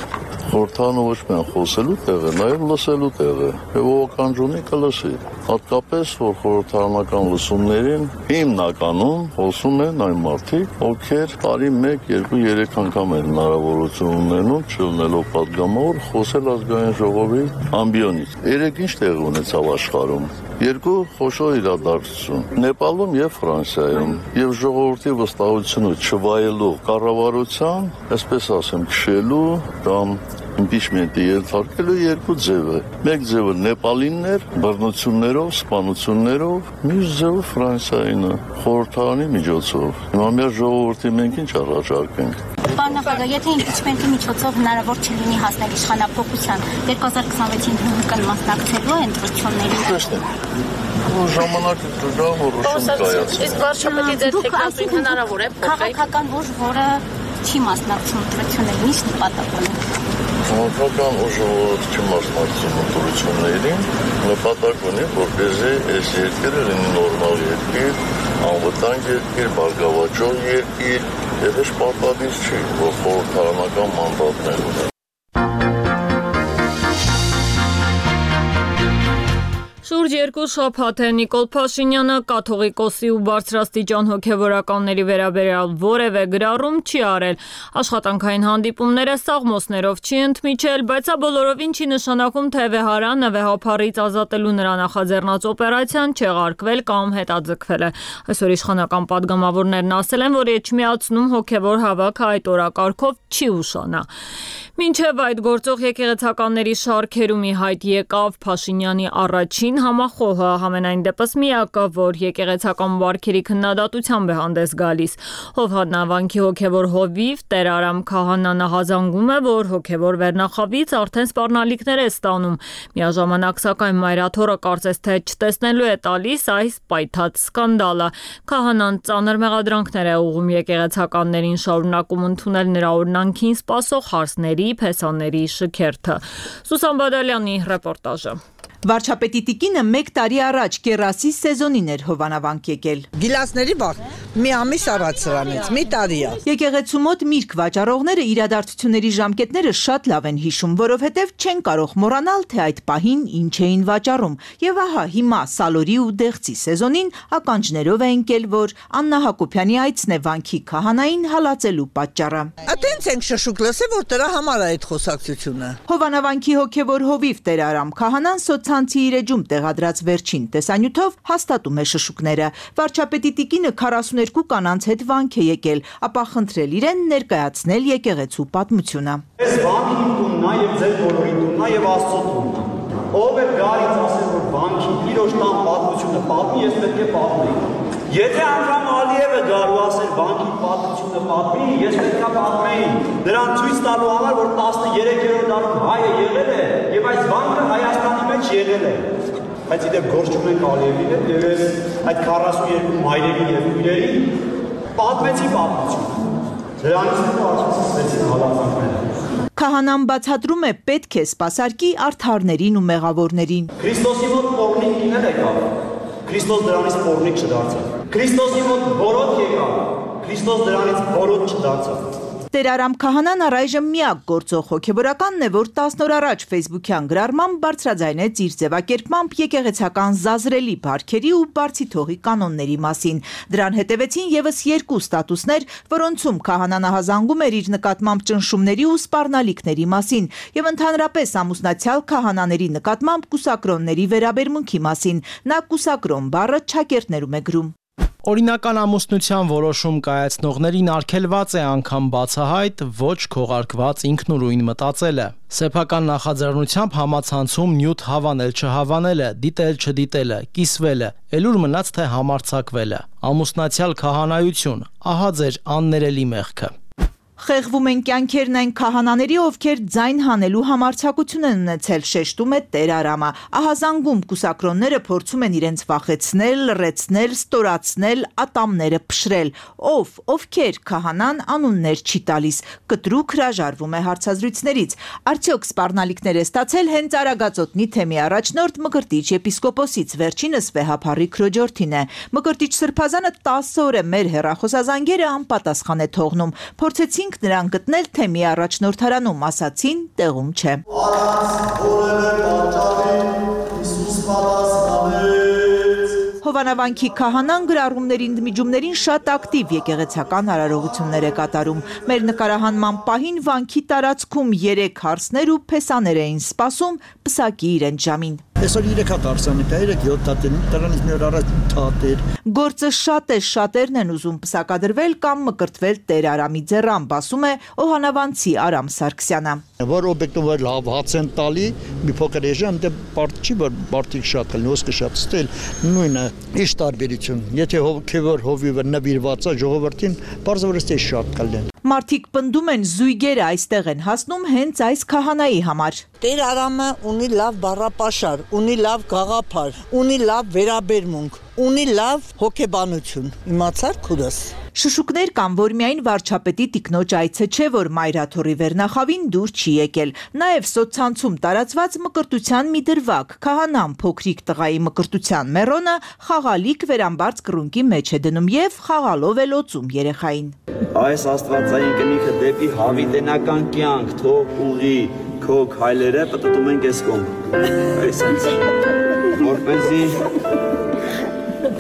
Խորհրդարանը ոչ միայն խոսելու տեղ է, նաև լսելու տեղ է, եւ ողականջունի կլսի։ Հատկապես, որ խորհրդարանական լսումներին հիմնականում խոսում են այն մարդիկ, ովքեր տարի մեկ, երկու, երեք անգամ են հնարավորություն ունենում, չլինելով падգամավոր, խոսել ազգային ժողովի ամբիոնից։ Երեք ինչ տեղ ունեցավ աշխարհում։ Երկու խոշոր իրադարձություն Նեպալում եւ Ֆրանսիայում եւ ժողովրդի վստահությունը չվայելող կառավարության, այսպես ասեմ, քշելու կամ իմպիչմենտի ենթարկելու երկու ձև է։ Մեկ ձևը Նեպալինն էր, բռնություններով, սպանություններով, մյուս ձևը Ֆրանսիայինը, խորհրդարանի միջոցով։ Հիմա մեր ժողովրդի մենք ինչ առաջարկենք։ Պարոն նախագահ, եթե իմպիչմենտի միջոցով հնարավոր չլինի հասնել իշխանափոխության, երկու հազար քսանվեցին ՀՀԿ-ն մասնակցելու է ընտրություններին։ Տեսնենք։ Ժամանակը կգա, որոշում կայացնի։ Իսկ վարչապետի ձեր թեկնածուին հնարավոր է փոխել։ Քաղաքական ուժ, որը չի մասնակցում ընտրություններին, ինչ նպատակ ունի։ Քաղաքական ուժը, որը չի մասնակցում ընտրություններին, նպատակ ունի, որպեսզի այս երկիրը լինի նորմալ երկիր, անվտանգ երկիր, բարգավաճող երկիր, եւ ոչ պարտադիր չի, որ խորհրդարանական մանդատներ ունենա։ Շուրջ երկու շաբաթ է Նիկոլ Փաշինյանը կաթողիկոսի ու բարձրաստիճան հոգևորականների վերաբերյալ որևէ գրառում չի արել, աշխատանքային հանդիպումները սաղմոսներով չի ընդմիջել, բայց սա բոլորովին չի նշանակում, թե Վեհարանը վեհափառից ազատելու նրա նախաձեռնած օպերացիան չեղարկվել կամ հետաձգվել է։ Այսօր իշխանական падգամավորներն ասել են, որ Էջմիածնում հոգևոր հավաքը այդ օրակարգով չի ուշանա։ Մինչև այդ գործող եկեղեցականների շարքերում ի հայտ եկավ Փաշինյանի առաջին համախոհը, համենայն դեպս միակը, որ եկեղեցական վարքերի քննադատությամբ է հանդես գալիս։ Հովհաննավանքի հոգևոր հովիվ Տեր Արամ Քահանան հազանգում է, որ հոգևոր վերնախավից արդեն սպառնալիքներ է ստանում։ Միաժամանակ սակայն մայրաթորը կարծես թե չտեսնելու է տալիս այս պայթած սկանդալը։ Քահանան ծանր մեղադրանքներ է ուղղում եկեղեցականներին, շարունակում ընդունել նրա օրնանքին սպասող հարցների, փեսաների շքերթը։ Սուսան Բադալյանի ռեպորտաժը։ Վարչապետի տիկինը մեկ տարի առաջ կերասի սեզոնին էր Հովանավանք եկել։ Գիլասների բախ մի ամիս առաջ սրանից, մի տարի է։ Եկեղեցու մոտ միրգ վաճառողները իրադարձությունների ժամկետները շատ լավ են հիշում, որովհետև չեն կարող մոռանալ, թե այդ պահին ինչ էին վաճառում։ Եվ ահա հիմա Սալորի ու Դեղցի սեզոնին ականջներով է ընկել, որ Աննա Հակոբյանի այցն է վանքի քահանային հալածելու պատճառը։ Ատենց ենք շշուկ լսել, որ դրա համար է այդ խոսակցությունը։ Հովանավանքի հոգևոր հովիվ Տեր Արամ Քահանան Ցանցի իր էջում տեղադրած վերջին տեսանյութով հաստատում է շշուկները։ Վարչապետի տիկինը քառասուներկու կանանց հետ վանք է եկել, ապա խնդրել իրեն ներկայացնել եկեղեցու պատմությունը։ Այս վանքի տունն է եւ ձեր բոլորի տունն է եւ Աստծո տունն է։ Ով է գալիս ասել, որ վանքի իրոք տան պատմությունը պատմի, ես պետք է պատմեի։ Եթե անգամ Ալիևը գալու ասել վանքի պատմությունը պատմի, ես պետք է պատմեի։ Նրան ցույց տալու համար, որ տասներկերորդ դարում հայը եղել է եւ այս վանքը Հայաստանի մեջ եղել է։ Բայց իդեպ գործ չունենք Ալիևի հետ եւ ես այդ քառասուներկու մայրերի եւ քույրերի պատմեցի պատմությունը։ Դրանից հետո ասացին հալածանքները։ Քահանան բացատրում է պետք է սպասարկի արդարներին ու մեղավորներին։ Քրիստոսի մոտ պոռնիկներ եկավ։ Քրիստոս դրանից պոռնիկ չդարձավ։ Քրիստոսի մոտ բորոտ եկավ։ Քրիստոս դրանից բորոտ չդարձավ։ Տեր Արամ Քահանան առայժմ միակ գործող հոգևորականն է, որ տասն օր առաջ Facebook-յան գրառմամբ բարձրաձայնեց իր ձևակերպմամբ եկեղեցական զազրելի բարքերի ու բարձի թողի կանոնների մասին։ Դրան հետևեցին եւս երկու ստատուսներ, որոնցում Քահանան ահազանգում էր իր նկատմամբ ճնշումների ու սպառնալիքների մասին եւ ընդհանրապես ամուսնացյալ քահանաների նկատմամբ կուսակրոնների վերաբերմունքի մասին։ Նա կուսակրոն բառը չակերտներում է գրում։ Օրինական ամուսնության որոշում կայացնողներին արգելված է անգամ բացահայտ ոչ քողարկված ինքնուրույն մտածելը։ Սեփական նախաձեռնությամբ համացանցում նյութ հավանել չհավանելը, դիտել չդիտելը, կիսվելը, ելուր մնաց թե համարձակվելը։ Ամուսնացյալ քահանայություն, ահա ձեր աններելի մեղքը։ Խեղվում են կյանքերն այն քահանաների, ովքեր ձայն հանելու համարձակություն են ունեցել, շեշտում է Տեր Արամը։ Ահազանգում կուսակրոնները փորձում են իրենց վախեցնել, լռեցնել, ստորացնել, ատամները փշրել։ Ով, ովքեր քահանան անուններ չի տալիս, կտրուկ հրաժարվում է հարցազրույցներից։ Արդյոք սպառնալիքներ է ստացել հենց Արագածոտնի թեմի առաջնորդ Մկրտիչ եպիսկոպոսից, վերջինս Վեհափառի Քրոջորթին է։ Մկրտիչ Սրբազանը տասը օր է մեր հեռախոսազանգերը անպատասխան է թողնում։ Փորձեցին նրան գտնել թեմի առաջնորդարանում, ասացին տեղում չէ։ Հովանավանքի քահանան գրառումների ընդմիջումներին շատ ակտիվ եկեղեցական արարողություններ է կատարում։ Մեր նկարահանման պահին վանքի տարածքում երեք հարսներ ու փեսաներ էին սպասում պսակի իրենց ժամին։ Այսօր երեք հատ արսանի կա, երեք յոթ հատ են, դրանից մի օր առաջ ութ հատ էր։ Գործը շատ է, շատերն են ուզում պսակադրվել կամ մկրտվել Տեր Արամի ձեռամբ, ասում է Օհանավանցի Արամ Սարգսյանը։ Որ օբյեկտում որ լավ հաց են տալի, մի փոքր էժան, դե բարդ չի, որ բարդիկ շատ են, ոսկե շատ ստել, նույնը, ինչ տարբերություն։ Եթե հոգևոր հովիվը նվիրված է ժողովրդին, բարձրապես թե շատ կլեն։ Մարդիկ պնդում են զույգերը այստեղ են հասնում հենց այս քահանայի համար։ Տեր Արամը ունի լավ բառապաշար, ունի լավ գաղափար, ունի լավ վերաբերմունք, ունի լավ հոգեբանություն։ Իմացար քուրս։ Շշուկներ կան, որ միայն վարչապետի տիկնոջ այցը չէ, որ Մայրաթորի վերնախավին դուր չի եկել։ Նաև սոցցանցում տարածված մկրտության մի դրվագ, քահանան փոքրիկ տղայի մկրտության մեռոնը խաղալիք վերամբարձ կռունկի մեջ է դնում եւ խաղալով է լոցում երեխային։ Այս աստվածային կնիքը դեպի հավիտենական կյանք թող ուղի քո քայլերը պատտում են ես կողմ։ Այսինքն որպեսզի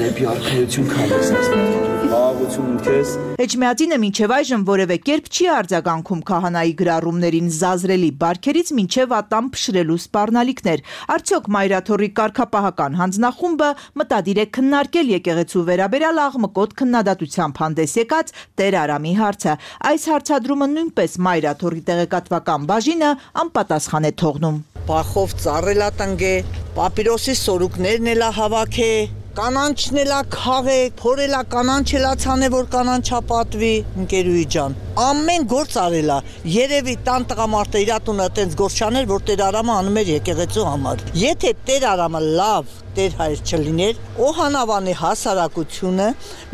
դեպի արքայություն քայլես աստված։ Բաղություն քեզ։ Էջմիածինը մինչև այժմ որևէ կերպ չի արձագանքում քահանայի գրառումներին զազրելի բարքերից մինչև ատամ փշրելու սպառնալիքներ։ Արդյոք Մայրաթորի կարգապահական հանձնախումբը մտադիր է քննարկել եկեղեցու վերաբերյալ աղմկոտ քննադատությամբ հանդես եկած Տեր Արամի հարցը։ Այս հարցադրումը նույնպես Մայրաթորի տեղեկատվական բաժինը անպատասխան է թողնում։ Բախով ծառելա տնգե, պապիրոսի սորուկներն էլա հավաքը, կանանչն էլա քաղե, փորելա կանանչելա ցանե, որ կանանչապատվի, ընկերուի ջան։ Ամեն գործ արելա, երևի տան տղամարդը իր տունը այտենց գործ չաներ, որ Տեր Արամը անում էր եկեղեցու համար։ Եթե Տեր Արամը լավ Տեր հայր չլիներ, Օհանավանի հասարակությունը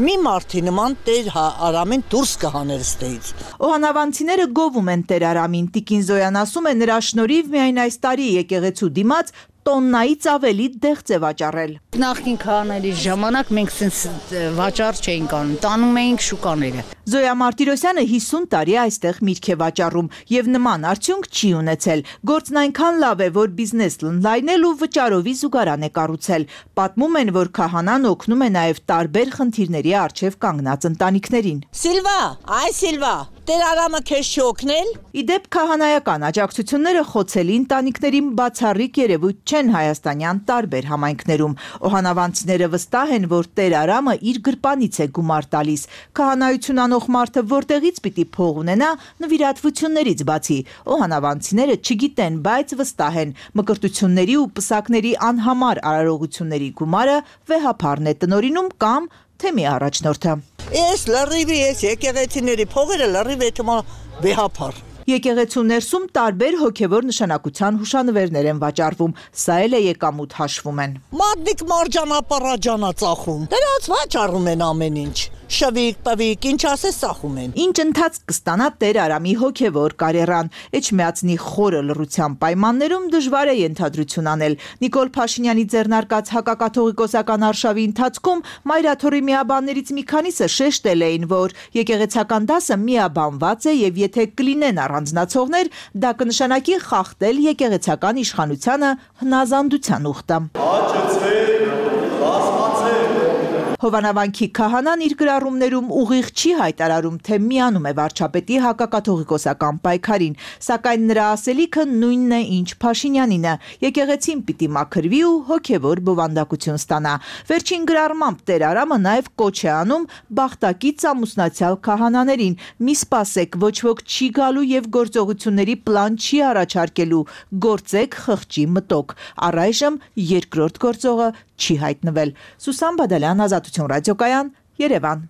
մի մարդի նման Տեր Արամին դուրս կհաներ ստեից։ Օհանավանցիները գովում են Տեր Արամին։ Տիկին Զոյան ասում է, նրա շնորհիվ միայն այս տարի եկեղեցու դիմաց տոննայից ավելի դեղց է վաճառել։ Նախկին քահանայի ժամանակ մենք sense վաճառ չէինք անում, տանում էինք շուկաները։ Զոյա Մարտիրոսյանը հիսուն տարի այստեղ միրգ է վաճառում եւ նման արդյունք չի ունեցել։ Գործն այնքան լավ է, որ բիզնես լայնել ու վճարովի զուգարան է կառուցել։ Պատմում են, որ քահանան օգնում է նաեւ տարբեր խնդիրների առջեւ կանգնած ընտանիքներին։ Սիլվա, այ Սիլվա, Տեր Արամը քեզ չի օգնել։ Իդեպ քահանայական աջակցությունները խոցելի ընտանիքներին բացառիկ երևույթ չեն հայաստանյան տարբեր համայնքներում։ Օհանավանցիները վստահ են, որ Տեր Արամը իր գրպանից է գումար տալիս։ Քահանայություն անող մարդը որտեղից պիտի փող ունենա նվիրատվություններից բացի։ Օհանավանցիները չգիտեն, բայց վստահ են, մկրտությունների ու պսակների անհամար արարողությունների գումարը Վեհափառն է տնօրինում կամ թեմի առաջնորդը։ Ես լրիվի ես եկեղեցիների փողերը լրիվ է թվում Վեհափառ։ Եկեղեցու ներսում տարբեր հոգևոր նշանակության հուշանվերներ են վաճառվում, սա էլ է եկամուտ հաշվում են։ Մատնիկ մարջանապարաջանա ծախում, դրանց վաճառում են ամեն ինչ։ շվիկ, պվիկ, ինչ ասես սախում են։ Ինչ ընթացք կստանա Տեր Արամի հոգևոր կարիերան։ Էջմիածնի խորը լռության պայմաններում դժվար է ենթադրություն անել։ Նիկոլ Փաշինյանի ձեռնարկած հակակաթողիկոսական արշավի ընթացքում մայրաթորի միաբաններից մի քանիսը շեշտել էին, որ եկեղեցական դասը միաբանված է եւ եթե կլինեն առանձնացողներ, դա կնշանակի խախտել եկեղեցական իշխանությանը հնազանդության ուխտը։ Հովանավանքի քահանան իր գրառումներում ուղիղ չի հայտարարում, թե միանում է վարչապետի հակակաթողիկոսական պայքարին, սակայն նրա ասելիքը նույնն է, ինչ Փաշինյանինը. եկեղեցին պիտի մաքրվի ու հոգևոր բովանդակություն ստանա։ Վերջին գրառմամբ Տեր Արամը նաև կոչ է անում բախտակից ամուսնացյալ քահանաներին. մի սպասեք, ոչ ոք չի գալու եւ գործողությունների պլան չի առաջարկելու, գործեք խղճի մտոք։ Առայժմ երկրորդ գործողը չի հայտնվել։ Սուսան Բադալյան, Ազատություն ռադիոկայան, Երևան։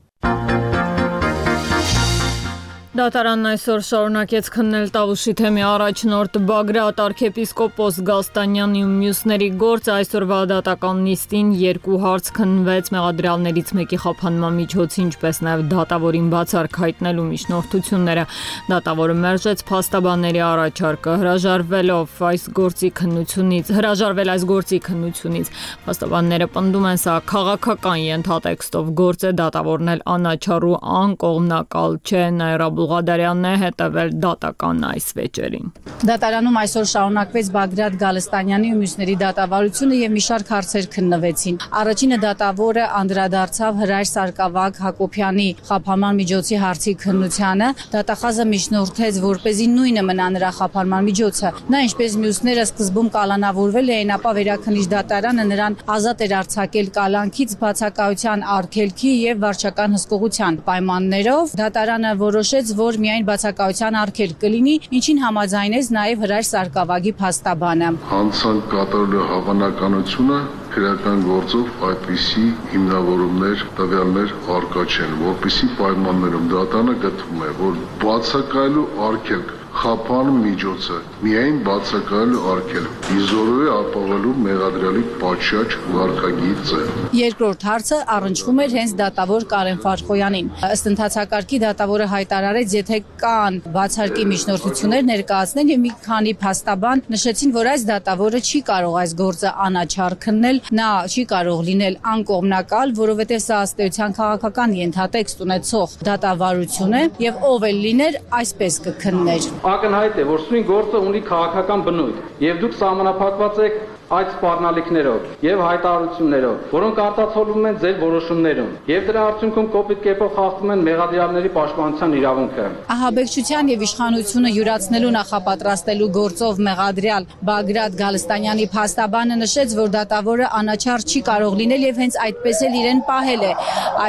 Դատարանն այսօր շարունակեց քննել Տավուշի թեմի առաջնորդ Բագրատ arczepiskopos Գալստանյանի ու մյուսների գործը։ Այսօրվա դատական նիստին երկու հարց քննվեց մեղադրյալներից մեկի խափանման միջոցի, ինչպես նաև դատավորին բացառք հայտնելու միջնորդությունները։ Դատավորը մերժեց փաստաբանների առաջարկը, հրաժարվելով այս գործի քննությունից, հրաժարվել այս գործի քննությունից։ Փաստաբանները պնդում են, սա քաղաքական ենթատեքստով գործ է, դատավորն էլ անաչառու անկողմնակալ չէ, Նաիրա Բուղադարյանն է հետևել դատական այս վեճերին։ Դատարանում այսօր շարունակվեց Բագրատ Գալստանյանի ու մյուսների դատավարությունը եւ մի շարք հարցեր քննվեցին։ Առաջինը դատավորը անդրադարձավ Հրայր Սարգսակ Հակոբյանի խափանման միջոցի հարցի քննությանը։ Դատախազը միջնորդեց, որպեսզի նույնը մնա նրա խափանման միջոցը։ Նա ինչպես մյուսները սկզբում կալանավորվել էին, ապա վերաքննիչ դատարանը նրան ազատ էր արձակել կալանքից բացակայության արգելքի եւ վարչական հսկողության պայմաններով։ Դատարանը որոշեց, որ միայն բացակայության արգելք կլինի, ինչին համաձայնեց նաև Հրայր Սարգսակի փաստաբանը։ Հանցանք կատարելու հավանականությունը քրեական գործով այդպիսի հիմնավորումներ, տվյալներ առկա չեն, որպիսի պայմաններում դատարանը գտնում է, որ բացակայելու արգելք խափան միջոցը միայն բացակայելու արգելք իզորու է ապավելու մեղադրյալի պատշաճ վարքագիծը։ Երկրորդ հարցը առնչվում էր հենց դատավոր Կարեն Ֆարխոյանին։ Ըստ ընթացակարգի դատավորը հայտարարեց, եթե կան բացարկի միջնորդություններ ներկայացնել եւ մի քանի փաստաբան նշեցին, որ այս դատավորը չի կարող այս գործը անաչառ քննել, նա չի կարող լինել անկողմնակալ, որովհետեւ սա ըստ էության քաղաքական ենթատեքստ ունեցող դատավարություն է եւ ով էլ լիներ, այսպես կքններ։ Ակնհայտ է, որ սույն գործը ունի քաղաքական բնույթ եւ դուք սահմանափակված եք այդ սպառնալիքներով եւ հայտարարություններով, որոնք արտացոլվում են ձեր որոշումներում եւ դրա արդյունքում կոպիտ կերպով խախտում են մեղադրյալների պաշտպանության իրավունքը։ Ահաբեկչության եւ իշխանությունը յուրացնելու նախապատրաստելու գործով մեղադրյալ Բագրատ Գալստանյանի փաստաբանը նշեց, որ դատավորը անաչառ չի կարող լինել եւ հենց այդպես էլ իրեն պահել է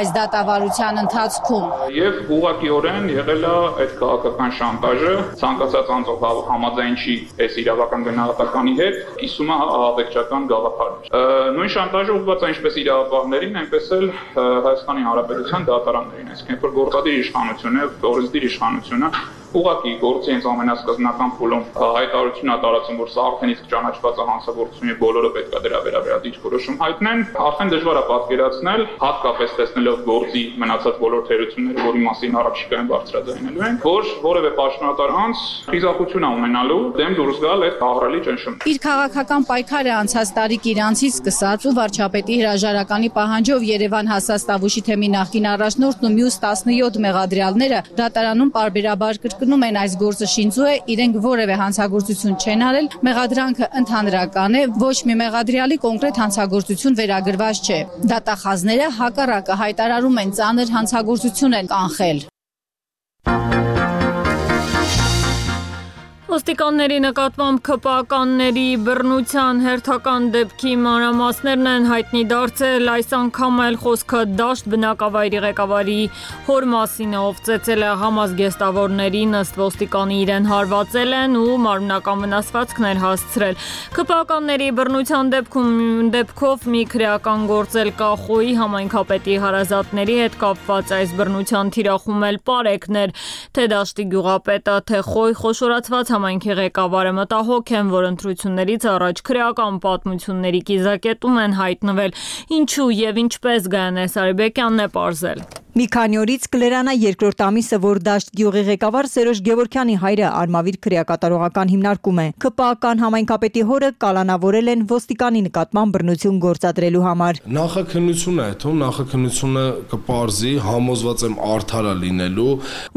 այս դատավարության ընթացքում։ Եվ ուղղակիորեն եղել է այդ քաղաքական շանտաժը, ցանկացած անձով համաձայն չի այս իրավական գնահատականի հետ, կիսում է ահաբեկչական գաղափարներ։ Նույն շանտաժը ուղղված է ինչպես իրավապահներին, այնպես էլ Հայաստանի Հանրապետության դատարաններին, այսինքն որ գործադիր իշխանությունը, օրենսդիր իշխանությունը ուղղակի գործի հենց ամենասկզբնական փուլում հայտարարություն է տարածում, որ սա արդեն իսկ ճանաչված է հանցագործություն եւ բոլորը պետք է դրա վերաբերյալ դիրքորոշում հայտնեն, արդեն դժվար է պատկերացնել, հատկապես տեսնելով գործի մնացած բոլոր թերությունները, որի մասին առաջիկայում բարձրաձայնելու են, որ որևէ պաշտոնատար անձ խիզախություն է ունենալու դեմ դուրս գալ այդ ահռելի ճնշումից։ Իր քաղաքական պայքարը անցած տարի Կիրանցից սկսած ու վարչապետի հրաժարականի պահանջով Երևան հասած Տավուշի թեմի նախկին առաջնորդն ու մյուս տասնյոթ մեղադրյալները դատարանում պարբերաբար կրկնում են այս գործը շինծու է, իրենք որևէ հանցագործություն չեն արել, մեղադրանքը ընդհանրական է, ոչ մի մեղադրյալի կոնկրետ հանցագործություն վերագրված չէ։ Դատախազները հակառակը հայտարարում են ծանր հանցագործություն են կանխել։ Ոստիկանների նկատմամբ ՔՊԱ-կանների բռնության հերթական դեպքի մանրամասներն են հայտնի դարձել, այս անգամ էլ խոսքը դաշտ բնակավայրի ղեկավարի հոր մասին է, ով ծեծել է համազգեստավորներին, ըստ ոստիկանի իրեն հարվածել են ու մարմնական վնասվածքներ հասցրել։ ՔՊԱ-կանների բռնության դեպքում դեպքով մի քրեական գործ էլ կա, Խոյի համայնքապետի հարազատների հետ կապված այս բռնության թիրախում էլ պարեկներ, թե դաշտի գյուղապետը, թե Խոյ խոշորացված համայնքի ղեկավարը մտահոգ են, որ ընտրություններից առաջ քրեական պատմությունների կիզակետում են հայտնվել, ինչու եւ ինչպես Գայանե Սարիբեկյանն է պարզել։ Մի քանի օրից կլերանա երկրորդ ամիսը, որ Դաշտ գյուղի ղեկավար Սերոժ Գևորգյանի հայրը Արմավիր քրեակատարողական հիմնարկում է։ ԿՊԱ-ական համայնքապետի հորը կալանավորել են ոստիկանի նկատմամբ բռնություն գործադրելու համար։ Նախաքննությունը է, թող նախաքննությունը կպարզի, համոզված եմ արդար է լինելու։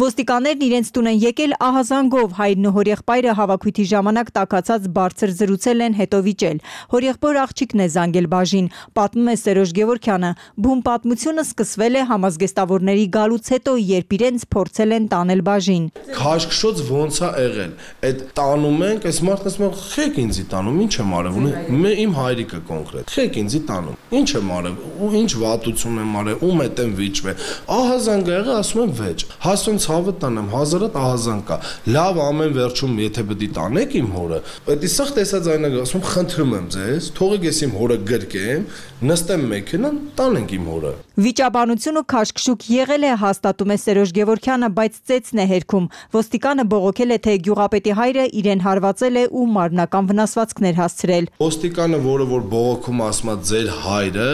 Ոստիկաններն իրենց տուն են եկել ահազանգով, հայրն ու հորեղբայրը հավաքույթի ժամանակ տաքացած բարձր զրուցել են, հետո վիճել։ Հորեղբոր աղջիկն է զանգել բաժին, պատմում է Սերոժ Գևորգյանը։ Բուն պատմությունը սկսվել է համազգեստավորների գալուց հետո, երբ իրենց փորձել են տանել բաժին։ Քաշքշոց ոնց է եղել։ Այդ տանում ենք, այս մարդն ասում է, «Խեք ինձի տանում, ինչ եմ արել»։ Մե իմ հայրիկը կոնկրետ։ «Խեք ինձի տանում, ինչ եմ արել, ու ինչ վատություն եմ արել, ում հետ եմ վիճվել»։ Ահազանգ է եղել, ասում եմ վեճ։ Հասուն ցավը տանեմ, հազարատ ահազանգ կա։ Լավ, ամեն վերջում եթե պետք է տանեք իմ հորը, պետք է սա տեսած այնա ասում եմ, խնդրում եմ ձեզ, թողեք ես իմ հորը գրկեմ, նստեմ մեքենան, տանենք իմ հորը։ Վիճաբանություն ու քաշքշուկ եղել է, հաստատում է Սերոժ Գևորգյանը, բայց ծեծն է հերքում։ Ոստիկանը բողոքել է, թե գյուղապետի հայրը իրեն հարվածել է ու մարմնական վնասվածքներ հասցրել։ Ոստիկանը, որը որ բողոքում ասում է ձեր հայրը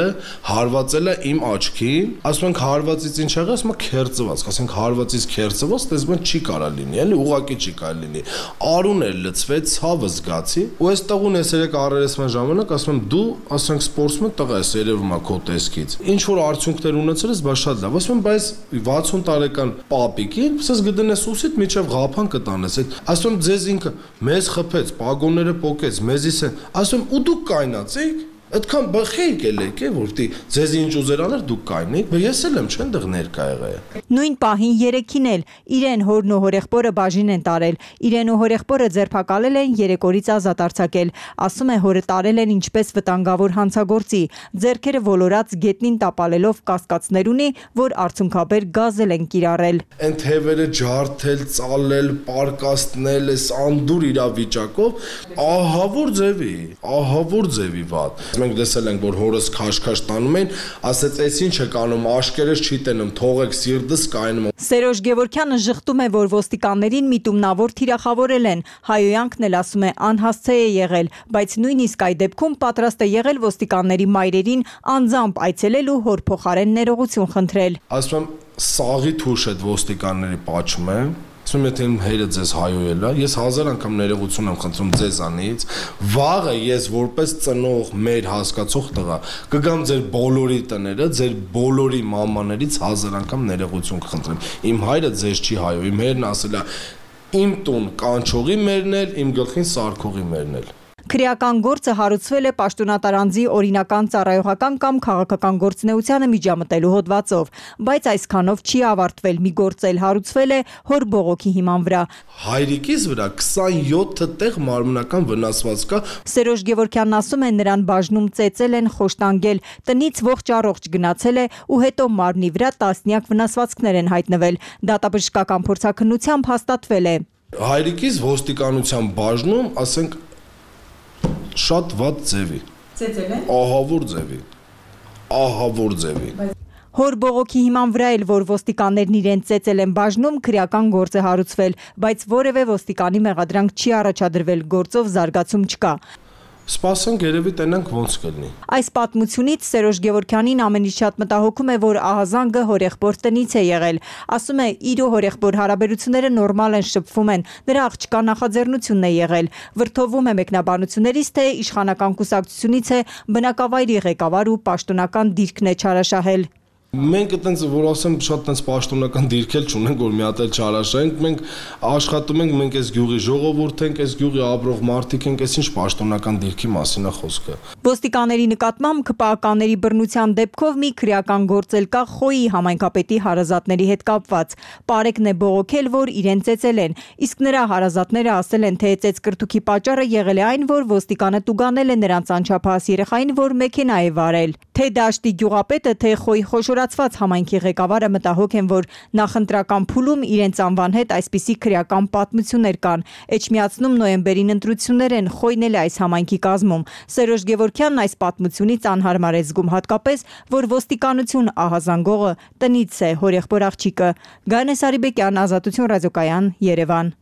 հարվածել է իմ աչքին, ասում ենք հարվածից ինչ եղավ, ասում է քերծված, ասենք հարվածից քերծված, տեսնում չի կարա լինի, էլի ուղակի չի կարա լինի։ Արուն էր լցվեց, ցավը զգացի, ու այս տղուն ես երեք առերեսման ժամանակ ասում եմ դու, ասենք սպորտսմեն տղա ես, երևում է քո տեսքից։ Ինչ որ արդյունքներ ունեցել ես, բա շատ լավ, ասում եմ բայց վաթսուն տարեկան պապիկին, ասես գտնես ուսիդ միջև ղափան կտանես, այդ ասում եմ ձեզ ինքը մեզ խփեց, պագոնները պոկեց, մեզիս են, ասում եմ ու դուք կայնացեք։ Այդքան բխեիք էլ եք, որ դի ձեզ ինչ ուզեր անել դուք կայնեք, բայց ես էլ եմ չեն դեռ ներկա եղել։ Նույն պահին երեքին էլ իրեն հորն ու հորեղբորը բաժին են տարել։ Իրեն ու հորեղբորը ձերբակալել են, երեք օրից ազատ արձակել։ Ասում է հորը տարել են ինչպես վտանգավոր հանցագործի, ձեռքերը ոլորած գետնին տապալելով կասկածներ ունի, որ արդյունքաբեր գազել են կիրառել։ Այն թևերը ջարդել, ծալել, պարկաստնել, այս անդուր իրավիճակով, ահավոր ձևի, ահավոր ձևի վատ։ Մենք տեսել ենք, որ հորս քաշքաշ տանում են, ասեց, «Էս ինչ եք անում, աշկերես չի տենում, թողեք սիրտս կայնում»։ Սերոժ Գևորգյանը ժխտում է, որ ոստիկաններին միտումնավոր թիրախավորել են։ Հայոյանքն էլ ասում է, անհասցե է եղել, բայց նույնիսկ այդ դեպքում պատրաստ է եղել ոստիկանների մայրերին անձամբ այցելել ու հոր փոխարեն ներողություն խնդրել։ Ասում եմ, սաղի թուշ այդ ոստիկանների պաչում է։ Ասում եմ, եթե իմ հայրը ձեզ հայոյել է, ես հազար անգամ ներողություն եմ խնդրում ձեզանից, վաղը ես որպես ծնող մեր հասկացող տղա կգամ ձեր բոլորի տները, ձեր բոլորի մամաներից հազար անգամ ներողություն կխնդրեմ։ Իմ հայրը ձեզ չի հայոյ, իմ հայրն ասել է իմ տուն կանչողի մերնել, իմ գլխին սարքողի մերնել։ Քրեական գործը հարուցվել է պաշտոնատարանձի օրինական ծառայողական կամ քաղաքական գործունեությանը միջամտելու հոդվածով, բայց այսքանով չի ավարտվել, մի գործ էլ հարուցվել է հոր բողոքի հիման վրա։ Հայրիկիս վրա քսանյոթ տեղ մարմնական վնասված կա։ Սերոժ Գևորգյանն ասում է, նրան բաժնում ծեծել են, խոշտանգել, տնից ողջ առողջ գնացել է ու հետո մարմնի վրա տասնյակ վնասվածքներ են հայտնվել։ Դատաբժշկական փորձաքննությամբ հաստատվել է։ Հայրիկիս ոստիկանության բաժնում, ասենք շատ վատ ձևի։ Ծեծել են։ Ահավոր ձևի։ Ահավոր ձևի։ Հոր բողոքի հիման վրա էլ, որ ոստիկաններն իրեն ծեծել են բաժնում, քրեական գործ է հարուցվել, բայց որևէ ոստիկանի մեղադրանք չի առաջադրվել, գործով զարգացում չկա։ Սպասենք, երևի տենանք ոնց կլինի։ Այս պատմությունից Սերոժ Գևորգյանին ամենից շատ մտահոգում է, որ ահազանգը հորեղբոր տնից է եղել։ Ասում է, իր ու հորեղբոր հարաբերությունները նորմալ են, շփվում են, նրա աղջկա նախաձեռնությունն է եղել։ Վրդովում է մեկնաբանություններից, թե իշխանական կուսակցությունից է, բնակավայրի ղեկավար ու պաշտոնական դիրքն է չարաշահել։ Մենք այտենց որ ասեմ շատ այտենց պաշտոնական դիրքել չունենք, որ մի հատ էլ չարաշահենք, մենք աշխատում ենք, մենք այս գյուղի ժողովուրդ ենք, այս գյուղի ապրող մարդիկ ենք, այս ինչ պաշտոնական դիրքի մասին է խոսքը։ Ոստիկանների նկատմամբ ԿՊԱ-ականների բռնության դեպքով մի քրեական գործ էլ կա Խոյի համայնքապետի հարազատների հետ կապված։ Պարեկն է բողոքել, որ իրեն ծեծել են, իսկ նրա հարազատները ասել են, թե ծեծկրտուքի պատճառը եղել է այն, որ ոստիկանը տուգանել է նրանց անչափահաս երեխային, որ մեքենա է վարել։ Թե Դաշտի գյուղապետը, թե Խոյի խոշորացված համայնքի ղեկավարը մտահոգ են, որ նախընտրական փուլում իրենց անվան հետ այսպիսի քրեական պատմություններ կան։ Էջմիածնում նոյեմբերին ընտրություններ են, Խոյն էլ է այս համայնքի կազմում։ Սերոժ Գևորգյանն այս պատմությունից անհարմար է զգում, հատկապես, որ ոստիկանություն ահազանգողը տնից է, հորեղբոր աղջիկը։ Գայանե Սարիբեկյան, Ազատություն ռադիոկայան, Երևան։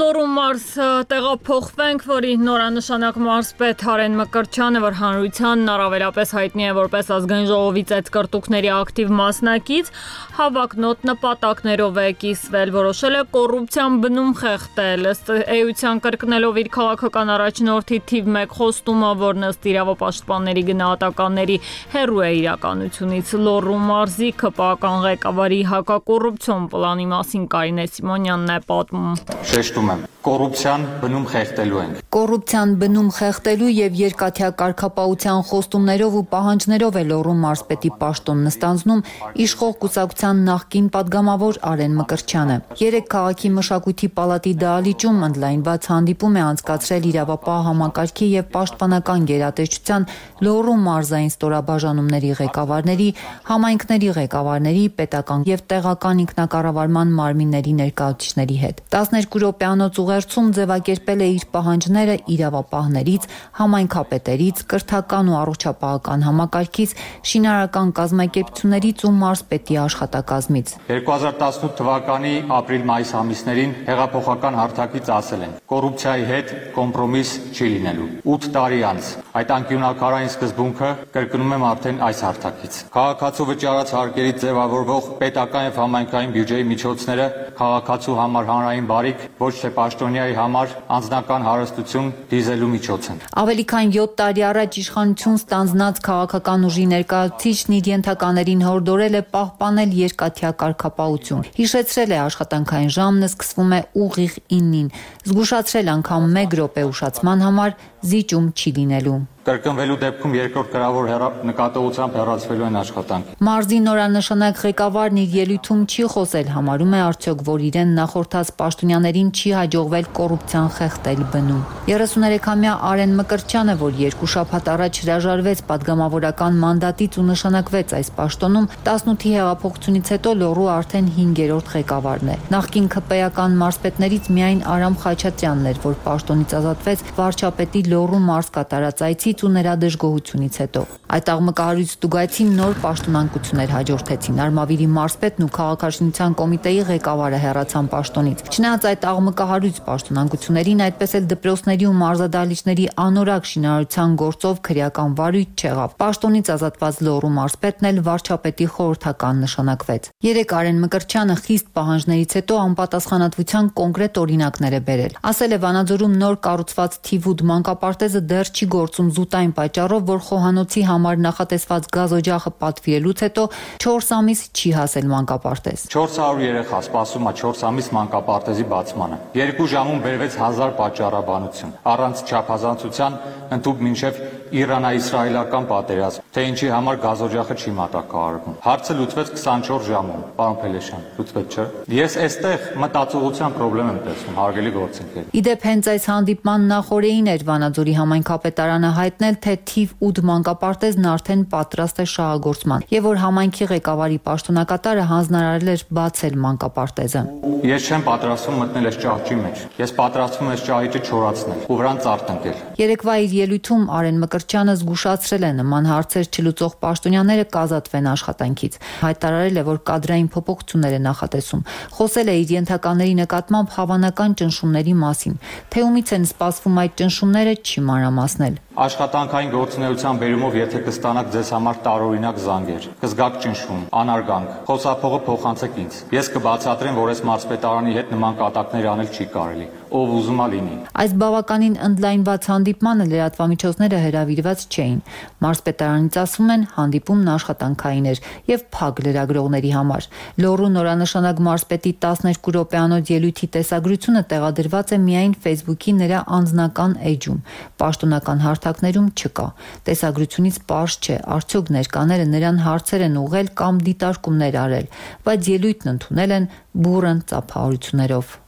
Լոռու մարզ տեղափոխվենք, որի նորանշանակ մարզպետ Արեն Մկրտչյանը, որ հանրությանն առավելապես հայտնի է որպես ազգային ժողովի ծեծկռտուքների ակտիվ մասնակից, հավակնոտ նպատակներով է կիսվել, որոշել է կոռուպցիան բնում խեղդել, ըստ էության կրկնելով իր քաղաքական առաջնորդի թիվ մեկ խոստումը, որն ըստ իրավապաշտպանների գնահատականների հեռու է իրականությունից։ Լոռու մարզի ՔՊԱ-կան ղեկավարի հակակոռուպցիոն պլանի մասին Կարինե Սիմոնյանն է պատմում։ Շեշտում եմ, կոռուպցիան բնում խեղդելու ենք։ Կոռուպցիան բնում խեղդելու եւ երկաթյա կարգապահության խոստումներով ու պահանջներով է Լոռու մարզպետի պաշտոնն ստանձնում իշխող կուսակցության նախկին падգամավոր Արեն Մկրտչյանը։ Երեք քաղաքի մշակույթի պալատի դահլիճում ընդլայնված հանդիպում է անցկացրել իրավապահ համակարգի եւ պաշտպանական գերատեսչության Լոռու մարզային ստորաբաժանումների ղեկավարների, համայնքների ղեկավարների, պետական եւ տեղական ինքնակառավարման մարմինների ներկայացուցիչների հետ։ տասներկու րոպեանոց ուղերձում ձևակերպել է իր պահանջները իրավապահներից, համայնքապետերից, կրթական ու առողջապահական համակարգից, շինարարական կազմակերպություններից ու մարզպետի աշխատակազմից։ երկու հազար տասնութ թվականի ապրիլ-մայիս ամիսներին հեղափոխական հարթակից ասել են. կոռուպցիայի հետ կոմպրոմիս չի լինելու։ ութ տարի անց այդ անկյունաքարային սկզբունքը կրկնում եմ արդեն այս հարթակից։ Քաղաքացու վճարած հարկերից ձևավորվող պետական եւ համայնքային բյուջեի միջոցները քաղաքացու համար հանրային բարիք, ոչ թե պաշտոնյայի համար անձնական հարստություն դիզելու միջոց են։ Ավելի քան յոթ տարի առաջ իշխանություն ստանձնած քաղաքական ուժի ներկայացուցիչն իր ենթականերին հորդորել է պահպանել երկաթյա կարգապահություն։ Հիշեցրել է աշխատանքային ժամն սկսվում է ուղիղ իննին, զգուշացրել անգամ մեկ րոպե ուշացման համար զիջում չի լինելու։ Կրկնվելու դեպքում երկրորդ գրավոր նկատողությամբ հեռացվելու են աշխատանքի։ Մարզի նորանշանակ ղեկավարն իր ելույթում չի խոսել, համարում է արդյոք, որ իրեն նախորդած պաշտոնյաներին չի հաջողվել կոռուպցիան խեղդել բնում։ երեսուներեքամյա Արեն Մկրտչյանը, որ երկու շաբաթ առաջ հրաժարվեց падգամավորական մանդատից ու նշանակվեց այս պաշտոնում, տասնութի հեղափոխությունից հետո Լոռու արդեն հինգերորդ ղեկավարն է։ Նախկին ՔՊԱ-կան մարզպետներից միայն Արամ Խաչատրյանն էր, որ պաշտոնից ազատվեց վարչապետի Լոռու մարզ կատարած այցի ու նրա դժգոհությունից հետո։ Այդ աղմկահարույց ստուգայցին նոր պաշտոնանկություններ հաջորդեցին։ Արմավիրի մարզպետն ու քաղաքաշինության կոմիտեի ղեկավարը հեռացան պաշտոնից։ Չնայած այդ աղմկահարույց պաշտոնանկություններին, այդպես էլ դպրոցների ու մարզադահլիճների անորակ շինարարության գործով քրեական վարույթ չեղավ։ Պաշտոնից ազատված Լոռու մարզպետն էլ վարչապետի խորհրդական նշանակվեց։ Երեք Արեն Մկրտչյանը խիստ պահանջներից հետո անպատասխանատվության կոնկրետ օրինակներ է բերել։ Ասել է Վանաձորում նոր կառուցված թիվ ութ մանկապարտեզը դեռ չի գործում զուտային պատճառով, որ խոհանոցի համար նախատեսված գազօջախը պատվիրելուց հետո չորս ամիս չի հասել մանկապարտեզ։ չորս հարյուր երեխա սպասում է չորս ամիս մանկապարտեզի բացմանը։ Երկու ժամում բերվեց հազար պատճառաբանություն, առանց չափազանցության ընդհուպ մինչև Իրանա-իսրայելական պատերազմ, թե ինչի համար գազօջախը չի մատակարարվում։ Հարցը լուծվեց քսանչորս ժամում, պարոն Փելեշյան, լուծվեց չէ։ Ես այստեղ մտածողության խնդրեմ եմ տեսնում, հարգելի գործընկեր։ Իդեպ հենց այս հանդիպման նախօրեին էր Վանաձորի համայնքապետարանը հայտնել, թե թիվ ութ մանկապարտեզն արդեն պատրաստ է շահագործման, եւ որ համայնքի ղեկավարի պաշտոնակատարը հանձնարարել էր բացել մանկապարտեզը։ Ես չեմ պատրաստվում մտնել այս ճահճի մեջ։ Ես պատրաստվում եմ այս ճահիճը չորացնել ու վրան ծարտ ընկել։ Երեկվա իր ելույթում Արեն Մկրտչյանը զգուշացրել է նման հարցեր չլուծող պաշտոնյաները կազատվեն աշխատանքից։ Հայտարարել է, որ կադրային փոփոխություններ է նախատեսում։ Խոսել է իր ենթակաների նկատմամբ հավանական ճնշումների մասին։ Թե ումից են սպասվում այդ ճնշումները, չի մանրամասնել։ Աշխատանքային գործունեության բերումով եթե կստանաք ձեզ համար տարօրինակ զանգեր, կզգաք ճնշում, անարգանք, խոսափողը փոխանցեք ինձ։ Ես կբացատրեմ, որ այս մարզպետարանի հետ նման կատակներ անել չի կարելի, ով ուզում է լինի։ Այս բավականին ընդլայնված հանդիպմանը լրատվամիջոցները հրավիրված չէին։ Մարզպետարանից ասում են, հանդիպումն աշխատանքային էր եւ փակ լրագրողների համար։ Լոռու նորանշանակ մարզպետի տասներկու րոպեանոց ելույթի տեսագրությունը տեղադրված է միայն Facebook-ի նրա անձնական էջում։ Պաշտոնական հարթակներում չկա։ Տեսագրությունից պարզ չէ, արդյոք ներկաները նրան հարցեր են ուղղել կամ դիտարկումներ արել, բայց ելույթն ընդունել են բուռն ծափահարություններով։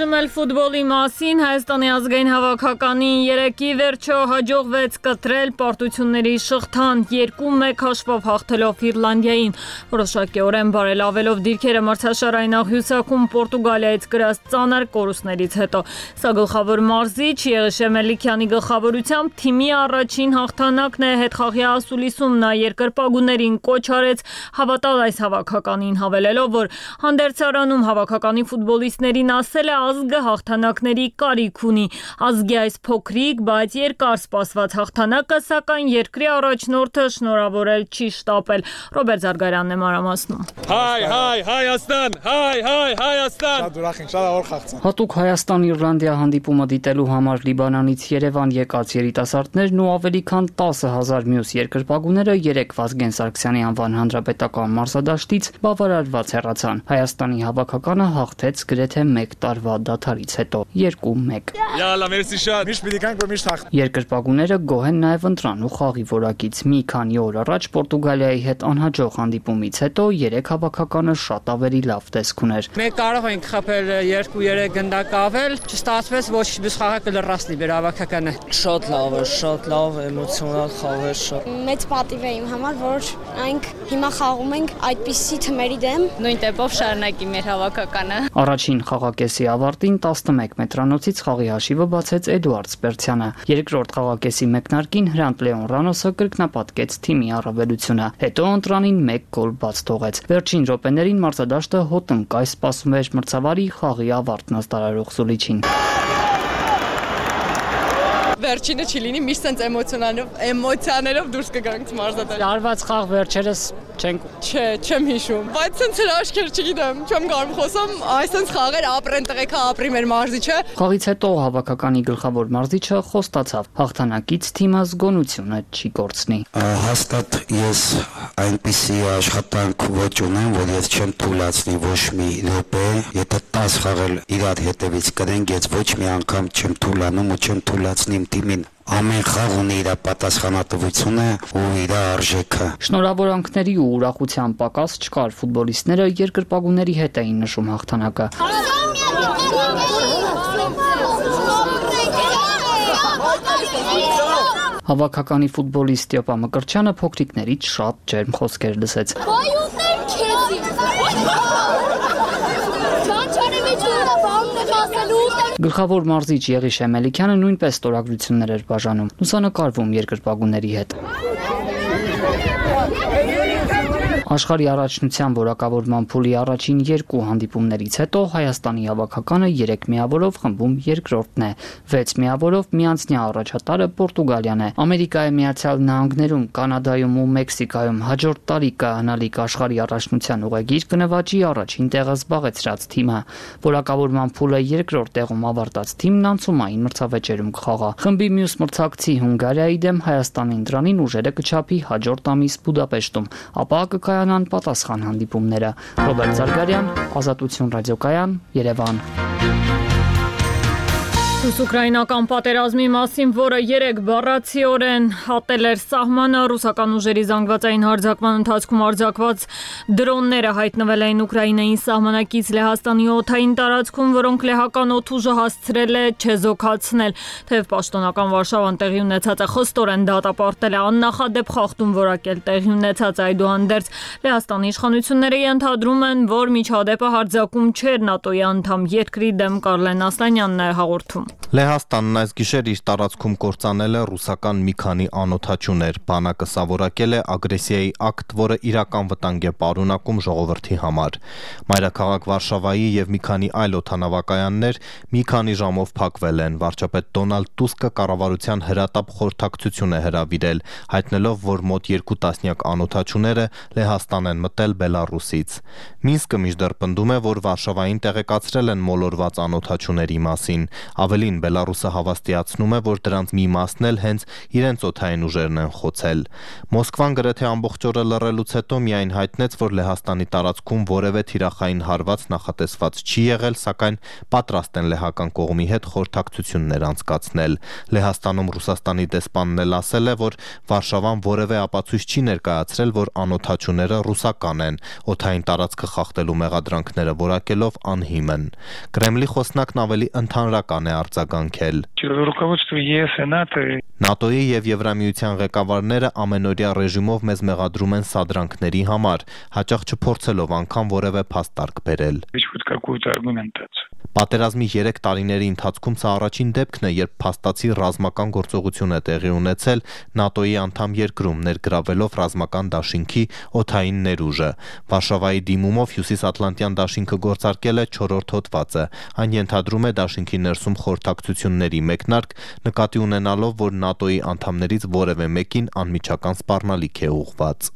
Այժմ էլ ֆուտբոլի մասին Հայաստանի ազգային հավաքականին երեքի վերջո հաջողվեց կտրել պարտությունների շղթան երկու մեկ հաշվով հաղթելով Իռլանդիային, որոշակիորեն բարելավելով դիրքերը մրցաշարային աղյուսակում Պորտուգալիայից կրած ծանր կորուստներից հետո։ Սա գլխավոր մարզիչ Եղիշե Մելիքյանի գլխավորությամբ թիմի առաջին հաղթանակն է, հետխաղի ասուլիսում նա երկրպագուներին կոչ արեց հավատալ այս հավաքականին, հավելելով, որ հանդերձարանում հավաքականի ֆուտբոլիստներին ասել է ազգը հաղթանակների կարիք ունի։ Ազգի այս փոքրիկ, բայց երկար սպասված հաղթանակը, սակայն երկրի առաջնորդը շնորհավորել չի շտապել։ Ռոբերտ Զարգարյանն է մանրամասնում։ Հայ, հայ, Հայաստան, հայ, հայ, Հայաստան։ Շատ ուրախ ենք, շատ օր խաղացան։ Հատուկ Հայաստան-Իռլանդիա հանդիպումը դիտելու համար Լիբանանից Երևան եկած երիտասարդներն ու ավելի քան տասը հազար մյուս երկրպագուները երեկ Վազգեն Սարգսյանի անվան հանրապետական մարզադաշտից բավարարված հեռացան։ Հայաստանի հավաքականը հաղթեց գրեթե մեկ տարվա դադարից հետո երկու մեկ։ Յալա, մերսի շատ։ Միշտ պիտի կանք, որ միշտ հաղթ։ Երկրպագուները գոհ են նաև ընտրանու խաղի որակից։ Մի քանի օր առաջ Պորտուգալիայի հետ անհաջող հանդիպումից հետո երեք հավաքականը շատ ավելի լավ տեսք ուներ։ Մենք կարող ենք խփել երկու երեք գնդակ ավել, չստացվեց, ոչ բշխաղակը լրացնի մեր հավաքականը։ Շատ լավ է, շատ լավ, էմոցիոնալ խաղ է շատ։ Մեծ պատիվ է իմ համար, որ այնք հիմա խաղում ենք այդպիսի թմերի դեմ։ Նույն տեպով շարունակի մեր հավաքականը։ Առաջին խաղակեսի ավարտին տասնմեկ մետրանոցից խաղի հաշիվը բացեց Էդուարդ Սպերցյանը։ Երկրորդ խաղակեսի մեկնարկին Հրանտ Լեոն Ռանոսը կրկնապատկեց թիմի առավելությունը։ Հետո ընտրանին մեկ գոլ բաց թողեց։ Վերջին րոպեներին մարզադաշտը հոտնկայ սպասում էր մրցավարի խաղի ավարտն ըստարարող Զուլիչին։ Վերջինը չի լինի, միշտ sense էմոցիոնալով, էմոցիաներով դուրս կգանք մարզադաշտ։ Արված խաղ վերջերս չենք Չէ, չեմ հիշում։ Բայց sense հրաշքեր չգիտեմ, չեմ կարող խոսամ, այսպես խաղեր ապրեն տղեկա ապրի մեր մարզիչը։ Խաղից հետո հավաքականի գլխավոր մարզիչը խոստացավ, հաղթանակից թիմը զգոնությունը չի կորցնի։ Հաստատ ես այնպիսի աշխատանք ոչ ունեմ, որ ես չեմ թույլատնի ոչ մի րոպե, եթե տասը խաղել իրար հետևից կրենք, ես ոչ մի անգամ չեմ թույլանում ու չեմ թույլատնի թիմին։ Ամեն խաղ ունի իր պատասխանատվությունը ու իր արժեքը։ Շնորհավորանքների ու ուրախության պակաս չկար, ֆուտբոլիստները երկրպագուների հետ էին նշում հաղթանակը։ Հավաքականի ֆուտբոլիստ Ստեփա Մկրտչյանը փոքրիկներից շատ ջերմ խոսքեր լսեց։ Գլխավոր մարզիչ Եղիշե Մելիքյանը նույնպես ստորագրություններ էր բաժանում, լուսանկարվում երկրպագուների հետ։ Աշխարհի առաջնության որակավորման փուլի առաջին երկու հանդիպումներից հետո Հայաստանի հավաքականը երեք միավորով խմբում երկրորդն է, վեց միավորով միանձնյա առաջատարը Պորտուգալիան է։ Ամերիկայի Միացյալ Նահանգներում, Կանադայում ու Մեքսիկայում հաջորդ տարի կհանալիք աշխարհի առաջնության ուղեգիր կնվաճի առաջին տեղը զբաղեցրած թիմը։ Որակավորման փուլը երկրորդ տեղում ավարտած թիմն անցումային մրցավեճերում կխաղա։ Խմբի մյուս մրցակցի Հունգարիայի դեմ Հայաստանի ընտրանին ուժերը կչափի հաջորդ ամիս Բուդապեշտում, ապա կկայանան պատասխան հանդիպումները։ Ռոբերտ Զարգարյան, Ազատություն ռադիոկայան, Երևան։ Ռուս-ուկրաինական պատերազմի մասին, որը երեք բառացիորեն հատել էր սահմանը, ռուսական ուժերի զանգվածային հարձակման ընթացքում արձակված դրոնները հայտնվել էին Ուկրաինային սահմանակից Լեհաստանի օդային տարածքում, որոնք լեհական օդուժը հասցրել է չեզոքացնել, թեև պաշտոնական Վարշավան տեղի ունեցածը խստորեն դատապարտել է, աննախադեպ խախտում որակել տեղի ունեցած, այդուհանդերձ Լեհաստանի իշխանությունները ենթադրում են, որ միջադեպը հարձակում չէր ՆԱՏՕ-ի անդամ երկրի դեմ։ Կարլեն Ասլանյանն է հաղորդում։ Լեհաստանն այս գիշեր իր տարածքում կործանել է ռուսական մի քանի անօդաչուներ, բանակը սա որակել է ագրեսիայի ակտ, որը իրական վտանգ է պարունակում ժողովրդի համար։ Մայրաքաղաք Վարշավայի եւ մի քանի այլ օդանավակայաններ մի քանի ժամով փակվել են։ Վարչապետ Դոնալդ Տուսկը կառավարության հրատապ խորհրդակցություն է հրավիրել, հայտնելով, որ մոտ երկու տասնյակ անօդաչուները Լեհաստան են մտել Բելարուսից։ Մինսկը մինչդեռ պնդում է, որ Վարշավային տեղեկացրել են մոլորված անօդաչուների մասին։ Ավելի Ավելին, Բելարուսը հավաստիացնում է, որ դրանց մի մասն էլ հենց իրենց օդային ուժերն են խոցել։ Մոսկվան գրեթե ամբողջ օրը լռելուց հետո միայն հայտնեց, որ Լեհաստանի տարածքում որևէ թիրախային հարված նախատեսված չի եղել, սակայն պատրաստ են լեհական կողմի հետ խորհրդակցություններ անցկացնել։ Լեհաստանում Ռուսաստանի դեսպանն էլ ասել է, որ Վարշավան որևէ ապացույց չի ներկայացրել, որ անօդաչուները ռուսական են, օդային տարածքը խախտելու մեղադրանքները որակելով անհիմն։ Կրեմլի խոսնակն ավելի ընդհանրական է արձագանքել։ ՆԱՏՕ-ի եւ Եվրամիության ղեկավարները ամենօրյա ռեժիմով մեզ մեղադրում են սադրանքների համար, հաճախ չփորձելով անգամ որևէ փաստարկ բերել։ Պատերազմի երեք տարիների ընթացքում սա առաջին դեպքն է, երբ փաստացի ռազմական գործողություն է տեղի ունեցել ՆԱՏՕ-ի անդամ երկրում, ներգրավելով ռազմական դաշինքի օդային ներուժը։ Վարշավայի դիմումով Հյուսիսատլանտյան դաշինքը գործարկել է չորրորդ հոդվածը։ Այն ենթադրում է դաշինքի ներսում խորհրդակցությունների մեկնարկ, նկատի ունենալով, որ ՆԱՏՕ-ի անդամներից որևէ մեկին անմիջական սպառնալիք է ուղղված։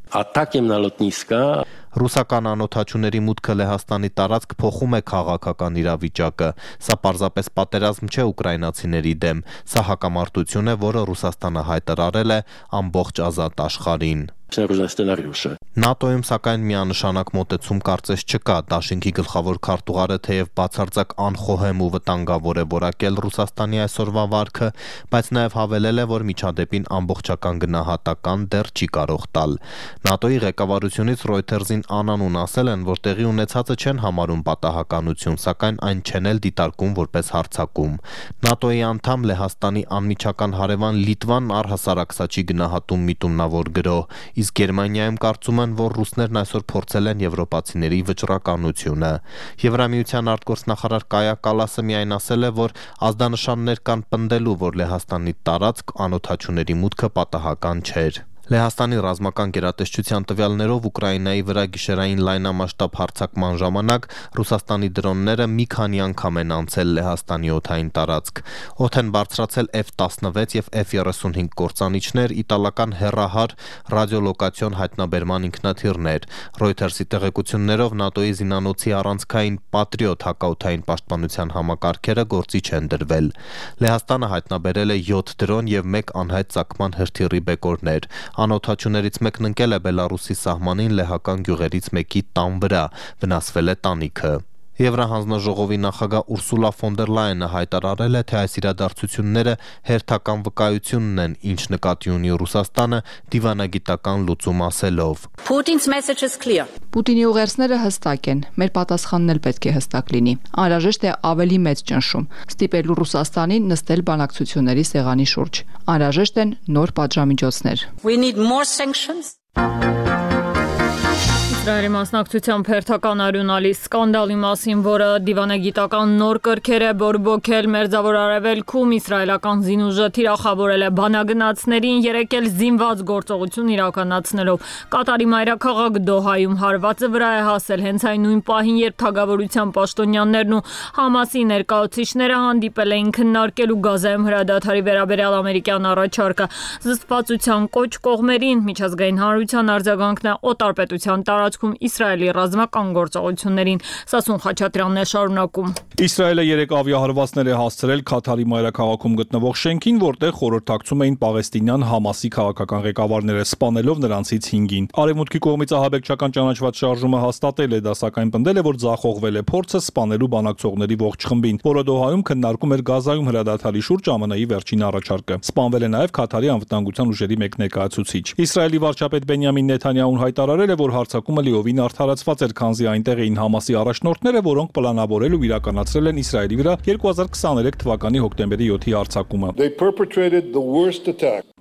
Ռուսական անօդաչուների մուտքը Լեհաստանի տարածք փոխում է քաղաքական իրավիճակը։ Սա պարզապես պատերազմ չէ ուկրաինացիների դեմ, սա հակամարտություն է, որը Ռուսաստանը հայտարարել է ամբողջ ազատ աշխարհին։ ՆԱՏՕ-ում սակայն միանշանակ մոտեցում կարծես չկա։ Դաշինքի գլխավոր քարտուղարը թեև բացարձակ անխոհեմ ու վտանգավոր է որակել Ռուսաստանի այսօրվա վարքը, բայց նաև հավելել է, որ միջադեպին ամբողջական գնահատական դեռ չի կարող տալ։ ՆԱՏՕ-ի ղեկավարությունից Reuters-ին անանուն ասել են, որ տեղի ունեցածը չեն համարում պատահականություն, սակայն այն չեն էլ դիտարկում որպես հարձակում։ ՆԱՏՕ-ի անդամ Լեհաստանի անմիջական հարևան Լիտվան առհասարակ սա չի գնահատում միտումնավոր գրոհ, իսկ Գերմանիայում կարծում են, որ ռուսներն այսօր փորձել են եվրոպացիների վճռականությունը։ Եվրամիության արտգործնախարար Կայա Կալասը միայն ասել է, որ ազդանշաններ կան պնդելու, որ Լեհաստանի տարածք անօդաչուների մուտքը պատահական չէր։ Լեհաստանի ռազմական գերատեսչության տվյալներով Ուկրաինայի վրա գիշերային լայնամասշտաբ հարձակման ժամանակ Ռուսաստանի դրոնները մի քանի անգամ են անցել Լեհաստանի օդային տարածք։ Օդ են բարձրացել F տասնվեց եւ F երեսունհինգ կործանիչներ, իտալական հեռահար ռադիոլոկացիոն հայտնաբերման ինքնաթիռներ։ Reuters-ի տեղեկություններով ՆԱՏՕ-ի զինանոցի առանցքային Patriot հակաօդային պաշտպանության համակարգերը գործի չեն դրվել։ Լեհաստանը հայտնաբերել է յոթ դրոն եւ մեկ անհայտ ծագման հրթիռի բեկորներ։ Անօդաչուներից մեկն ընկել է Բելարուսի սահմանին լեհական գյուղերից մեկի տան վրա, վնասվել է տանիքը։ Եվրահանձնաժողովի նախագահ Ուրսուլա ֆոն դեր Լայենը հայտարարել է, թե այս իրադարձությունները հերթական վկայությունն են, ինչ նկատի ունի Ռուսաստանը դիվանագիտական լուծում ասելով։ Պուտինի ուղերձները հստակ են, մեր պատասխանն էլ պետք է հստակ լինի։ Անհրաժեշտ է ավելի մեծ ճնշում, ստիպելու Ռուսաստանին նստել բանակցությունների սեղանի շուրջ։ Անհրաժեշտ են նոր պատժամիջոցներ։ Իսրայելի մասնակցությամբ հերթական արյունալի սկանդալի մասին, որը դիվանագիտական նոր կրքեր է բորբոքել Մերձավոր Արևելքում, իսրայելական զինուժը թիրախավորել է բանագնացներին, երեկ էլ զինված գործողություն իրականացնելով։ Կատարի մայրաքաղաք Դոհայում հարվածը վրա է հասել հենց այն նույն պահին, երբ թագավորության պաշտոնյաներն ու Համասի ներկայացուցիչները հանդիպել էին քննարկելու Գազայում հրադադարի վերաբերյալ ամերիկյան առաջարկը։ Զսպվածության կոչ կողմերին միջազգային հանրության արձագանքն է օտարպետության տարածքում Իսրայելի ռազմական գործողություններին։ Սասուն Խաչատրյանն է շարունակում։ Իսրայելը երեք ավիահարվածներ է հասցրել Քաթարի մայրաքաղաքում գտնվող շենքին, որտեղ խորհրդակցում էին պաղեստինյան Համասի քաղաքական ղեկավարները, սպանելով նրանցից հինգին։ Արևմուտքի կողմից ահաբեկչական ճանաչված շարժումը հաստատել է, դա սակայն պնդել է, որ ձախողվել է փորձը սպանելու բանակցողների ողջ խմբին, որը Դոհայում քննարկում էր Գազայում հրադադարի շուրջ ԱՄՆ-ի վերջին առաջարկը։ Սպանվել է նաև Քաթարի անվտանգության ուժերի մեկ ներկայացուցիչ։ Իսրայելի վարչապետ Բենյամին Նեթանյահուն հայտարարել է, որ հարձակումը լիովին արդարացված էր, քանզի այնտեղ էին Համասի առաջնորդները, որոնք պլանավորել ու իրականացրել են Իսրայելի վրա երկու հազար քսաներեք թվականի հոկտեմբերի յոթի հարձակումը։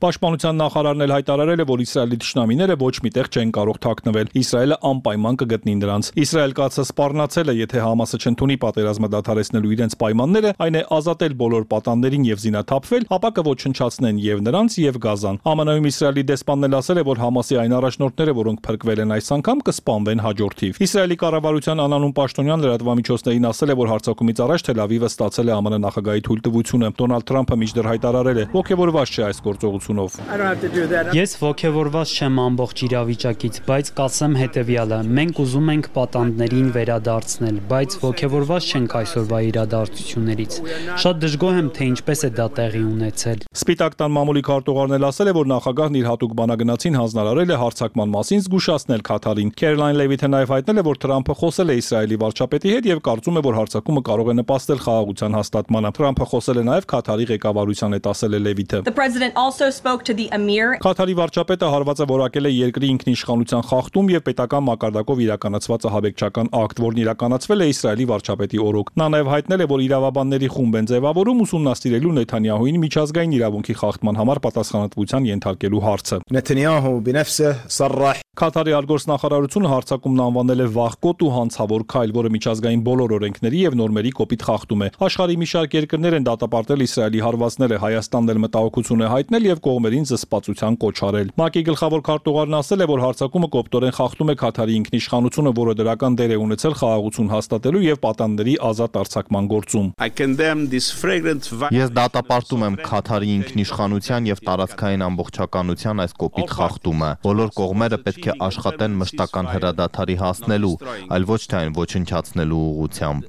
Պաշտպանության նախարարն էլ հայտարարել է, որ Իսրայելի թշնամիները ոչ միտեղ չեն կարող թաքնվել։ Իսրայելը անպայման կգտնի նրանց։ Իսրայել կացը սպառնացել է, եթե Համասը չընդունի պատերազմը դադարեցնելու իրենց պայմանները, այն է ազատել բոլոր պատաններին եւ զինաթափվել, ապա կոչնչացնեն եւ նրանց եւ Գազան։ ԱՄՆ-ում Իսրայելի դեսպանն էլ ասել է, որ Համասի այն առաջնորդները, որոնք փրկվել են այս անգամ, կսպանվեն հաջորդիվ։ Իսրայելի կառավարության անանուն պաշտոնյան լրատվամիջոցներին ասել է, որ հարձակումից առաջ Թել Ավիվը ստացել է ԱՄՆ նախագահի թույլտվությունը։ Դոնալդ Թրամփը մինչդեռ հայտարարել է, ոգևորված չէ այս գործողությունով։ Ես ոգևորված չեմ ամբողջ իրավիճակից, բայց կասեմ հետևյալը. մենք ուզում ենք պատանդներին վերադարձնել, բայց ոգևորված չենք այսօրվա իրադարձություններից։ Շատ դժգոհ եմ, թե ինչպես է դա տեղի ունեցել։ Սպիտակ տան մամուլի քարտուղարն էլ ասել է, որ նախագահն իր հատուկ բանագնացին հանձնարարել է հարձակման մասին զգուշացնել Քաթարին։ Քերոլայն Լևիթը նաև հայտնել է, որ Թրամփը խոսել է Իսրայելի վարչապետի հետ եւ կարծում է, որ հարձակումը կարող է նպաստել խաղաղության հաստատմանը։ Թրամփը խոսել է նաև Քաթարի ղեկավարության հետ, ասել է Լևիթը։ Քաթարի վարչապետը հարվածը որակել է երկրի ինքնիշխանության խախտում եւ պետական մակարդակով իրականացված ահաբեկչական ակտ, որն իրականացվել է Իսրայելի վարչապետի օրոք։ Նա նաև հայտնել է, որ իրավաբանների խումբ են ձևավորում ուսումնասիրելու Նեթանյահուին միջազգային իրավունքի խախտման համար պատասխանատվության ենթարկելու հարցը։ Քաթարի արտգործնախարարությունը հարձակումն անվանել է վախկոտ ու հանցավոր քայլ, որը միջազգային բոլոր օրենքների եւ նորմերի կոպիտ խախտում է։ Աշխարհի մի շարք երկրներ են դատապարտել Իսրայելի հարվածները, Հայաստանն էլ մտահոգություն է հայտնել եւ կողմերին զսպվածության կոչ արել։ ՄԱԿ-ի գլխավոր քարտուղարն ասել է, որ հարձակումը կոպտորեն խախտում է Քաթարի ինքնիշխանությունը, որը դրական դեր է ունեցել խաղաղություն հաստատելու եւ պատանդների ազատ արձակման գործում։ Ես դատապարտում եմ Քաթարի ինքնիշխանության եւ տարածքային ամբողջականության այս կոպիտ խախտումը։ Բոլոր կողմերը պետք է աշխատեն մշտական հրադադարի հասնելու, այլ ոչ թե այն ոչնչացնելու ուղղությամբ։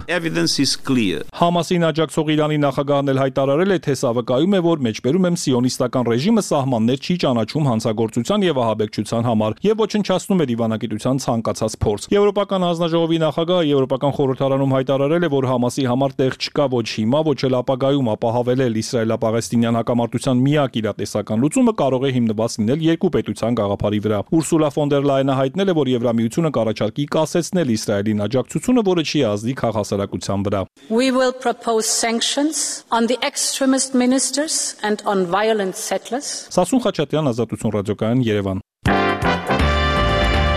Համասին աջակցող Իրանի նախագահն էլ հայտարարել է, թե սա վկայում է, որ մեջբերում եմ սիոնիստական ռեժիմը սահմաններ չի ճանաչում հանցագործության եւ ահաբեկչության համար եւ ոչնչացնում է դիվանագիտության ցանկացած փորձ։ Եվրոպական հանձնաժողովի նախագահը Եվրոպական խորհրդարանում հայտարարել է, որ Համասի համար տեղ չկա ոչ հիմա, ոչ էլ ապագայում ապահովել իսրայելա-պաղեստինյան հակամարտության միակ իրատեսական լուծումը կարող է հիմնված լինել երկու պետության գաղափարի վրա։ Ուրսուլա ֆոն դեր Լայենը հայտնել է, որ Եվրամիությունը կառաջարկի կասեցնել Իսրայելին աջակցությունը, որը չի ազդի քաղաքասարակության վրա։ We will propose sanctions on the extremist ministers and on violent settlers. Սասուն Խաչատյան, Ազատություն ռադիոկայան, Երևան։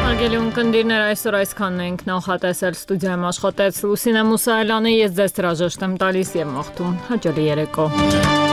Արգելի ունկնդիրներ, այսօր այսքանն ենք նախատեսել, ստուդիայում աշխատեց Լուսինե Մուսայելյանը, ես ձեզ հրաժեշտ եմ տալիս եւ մաղթում հաջողի երեկո։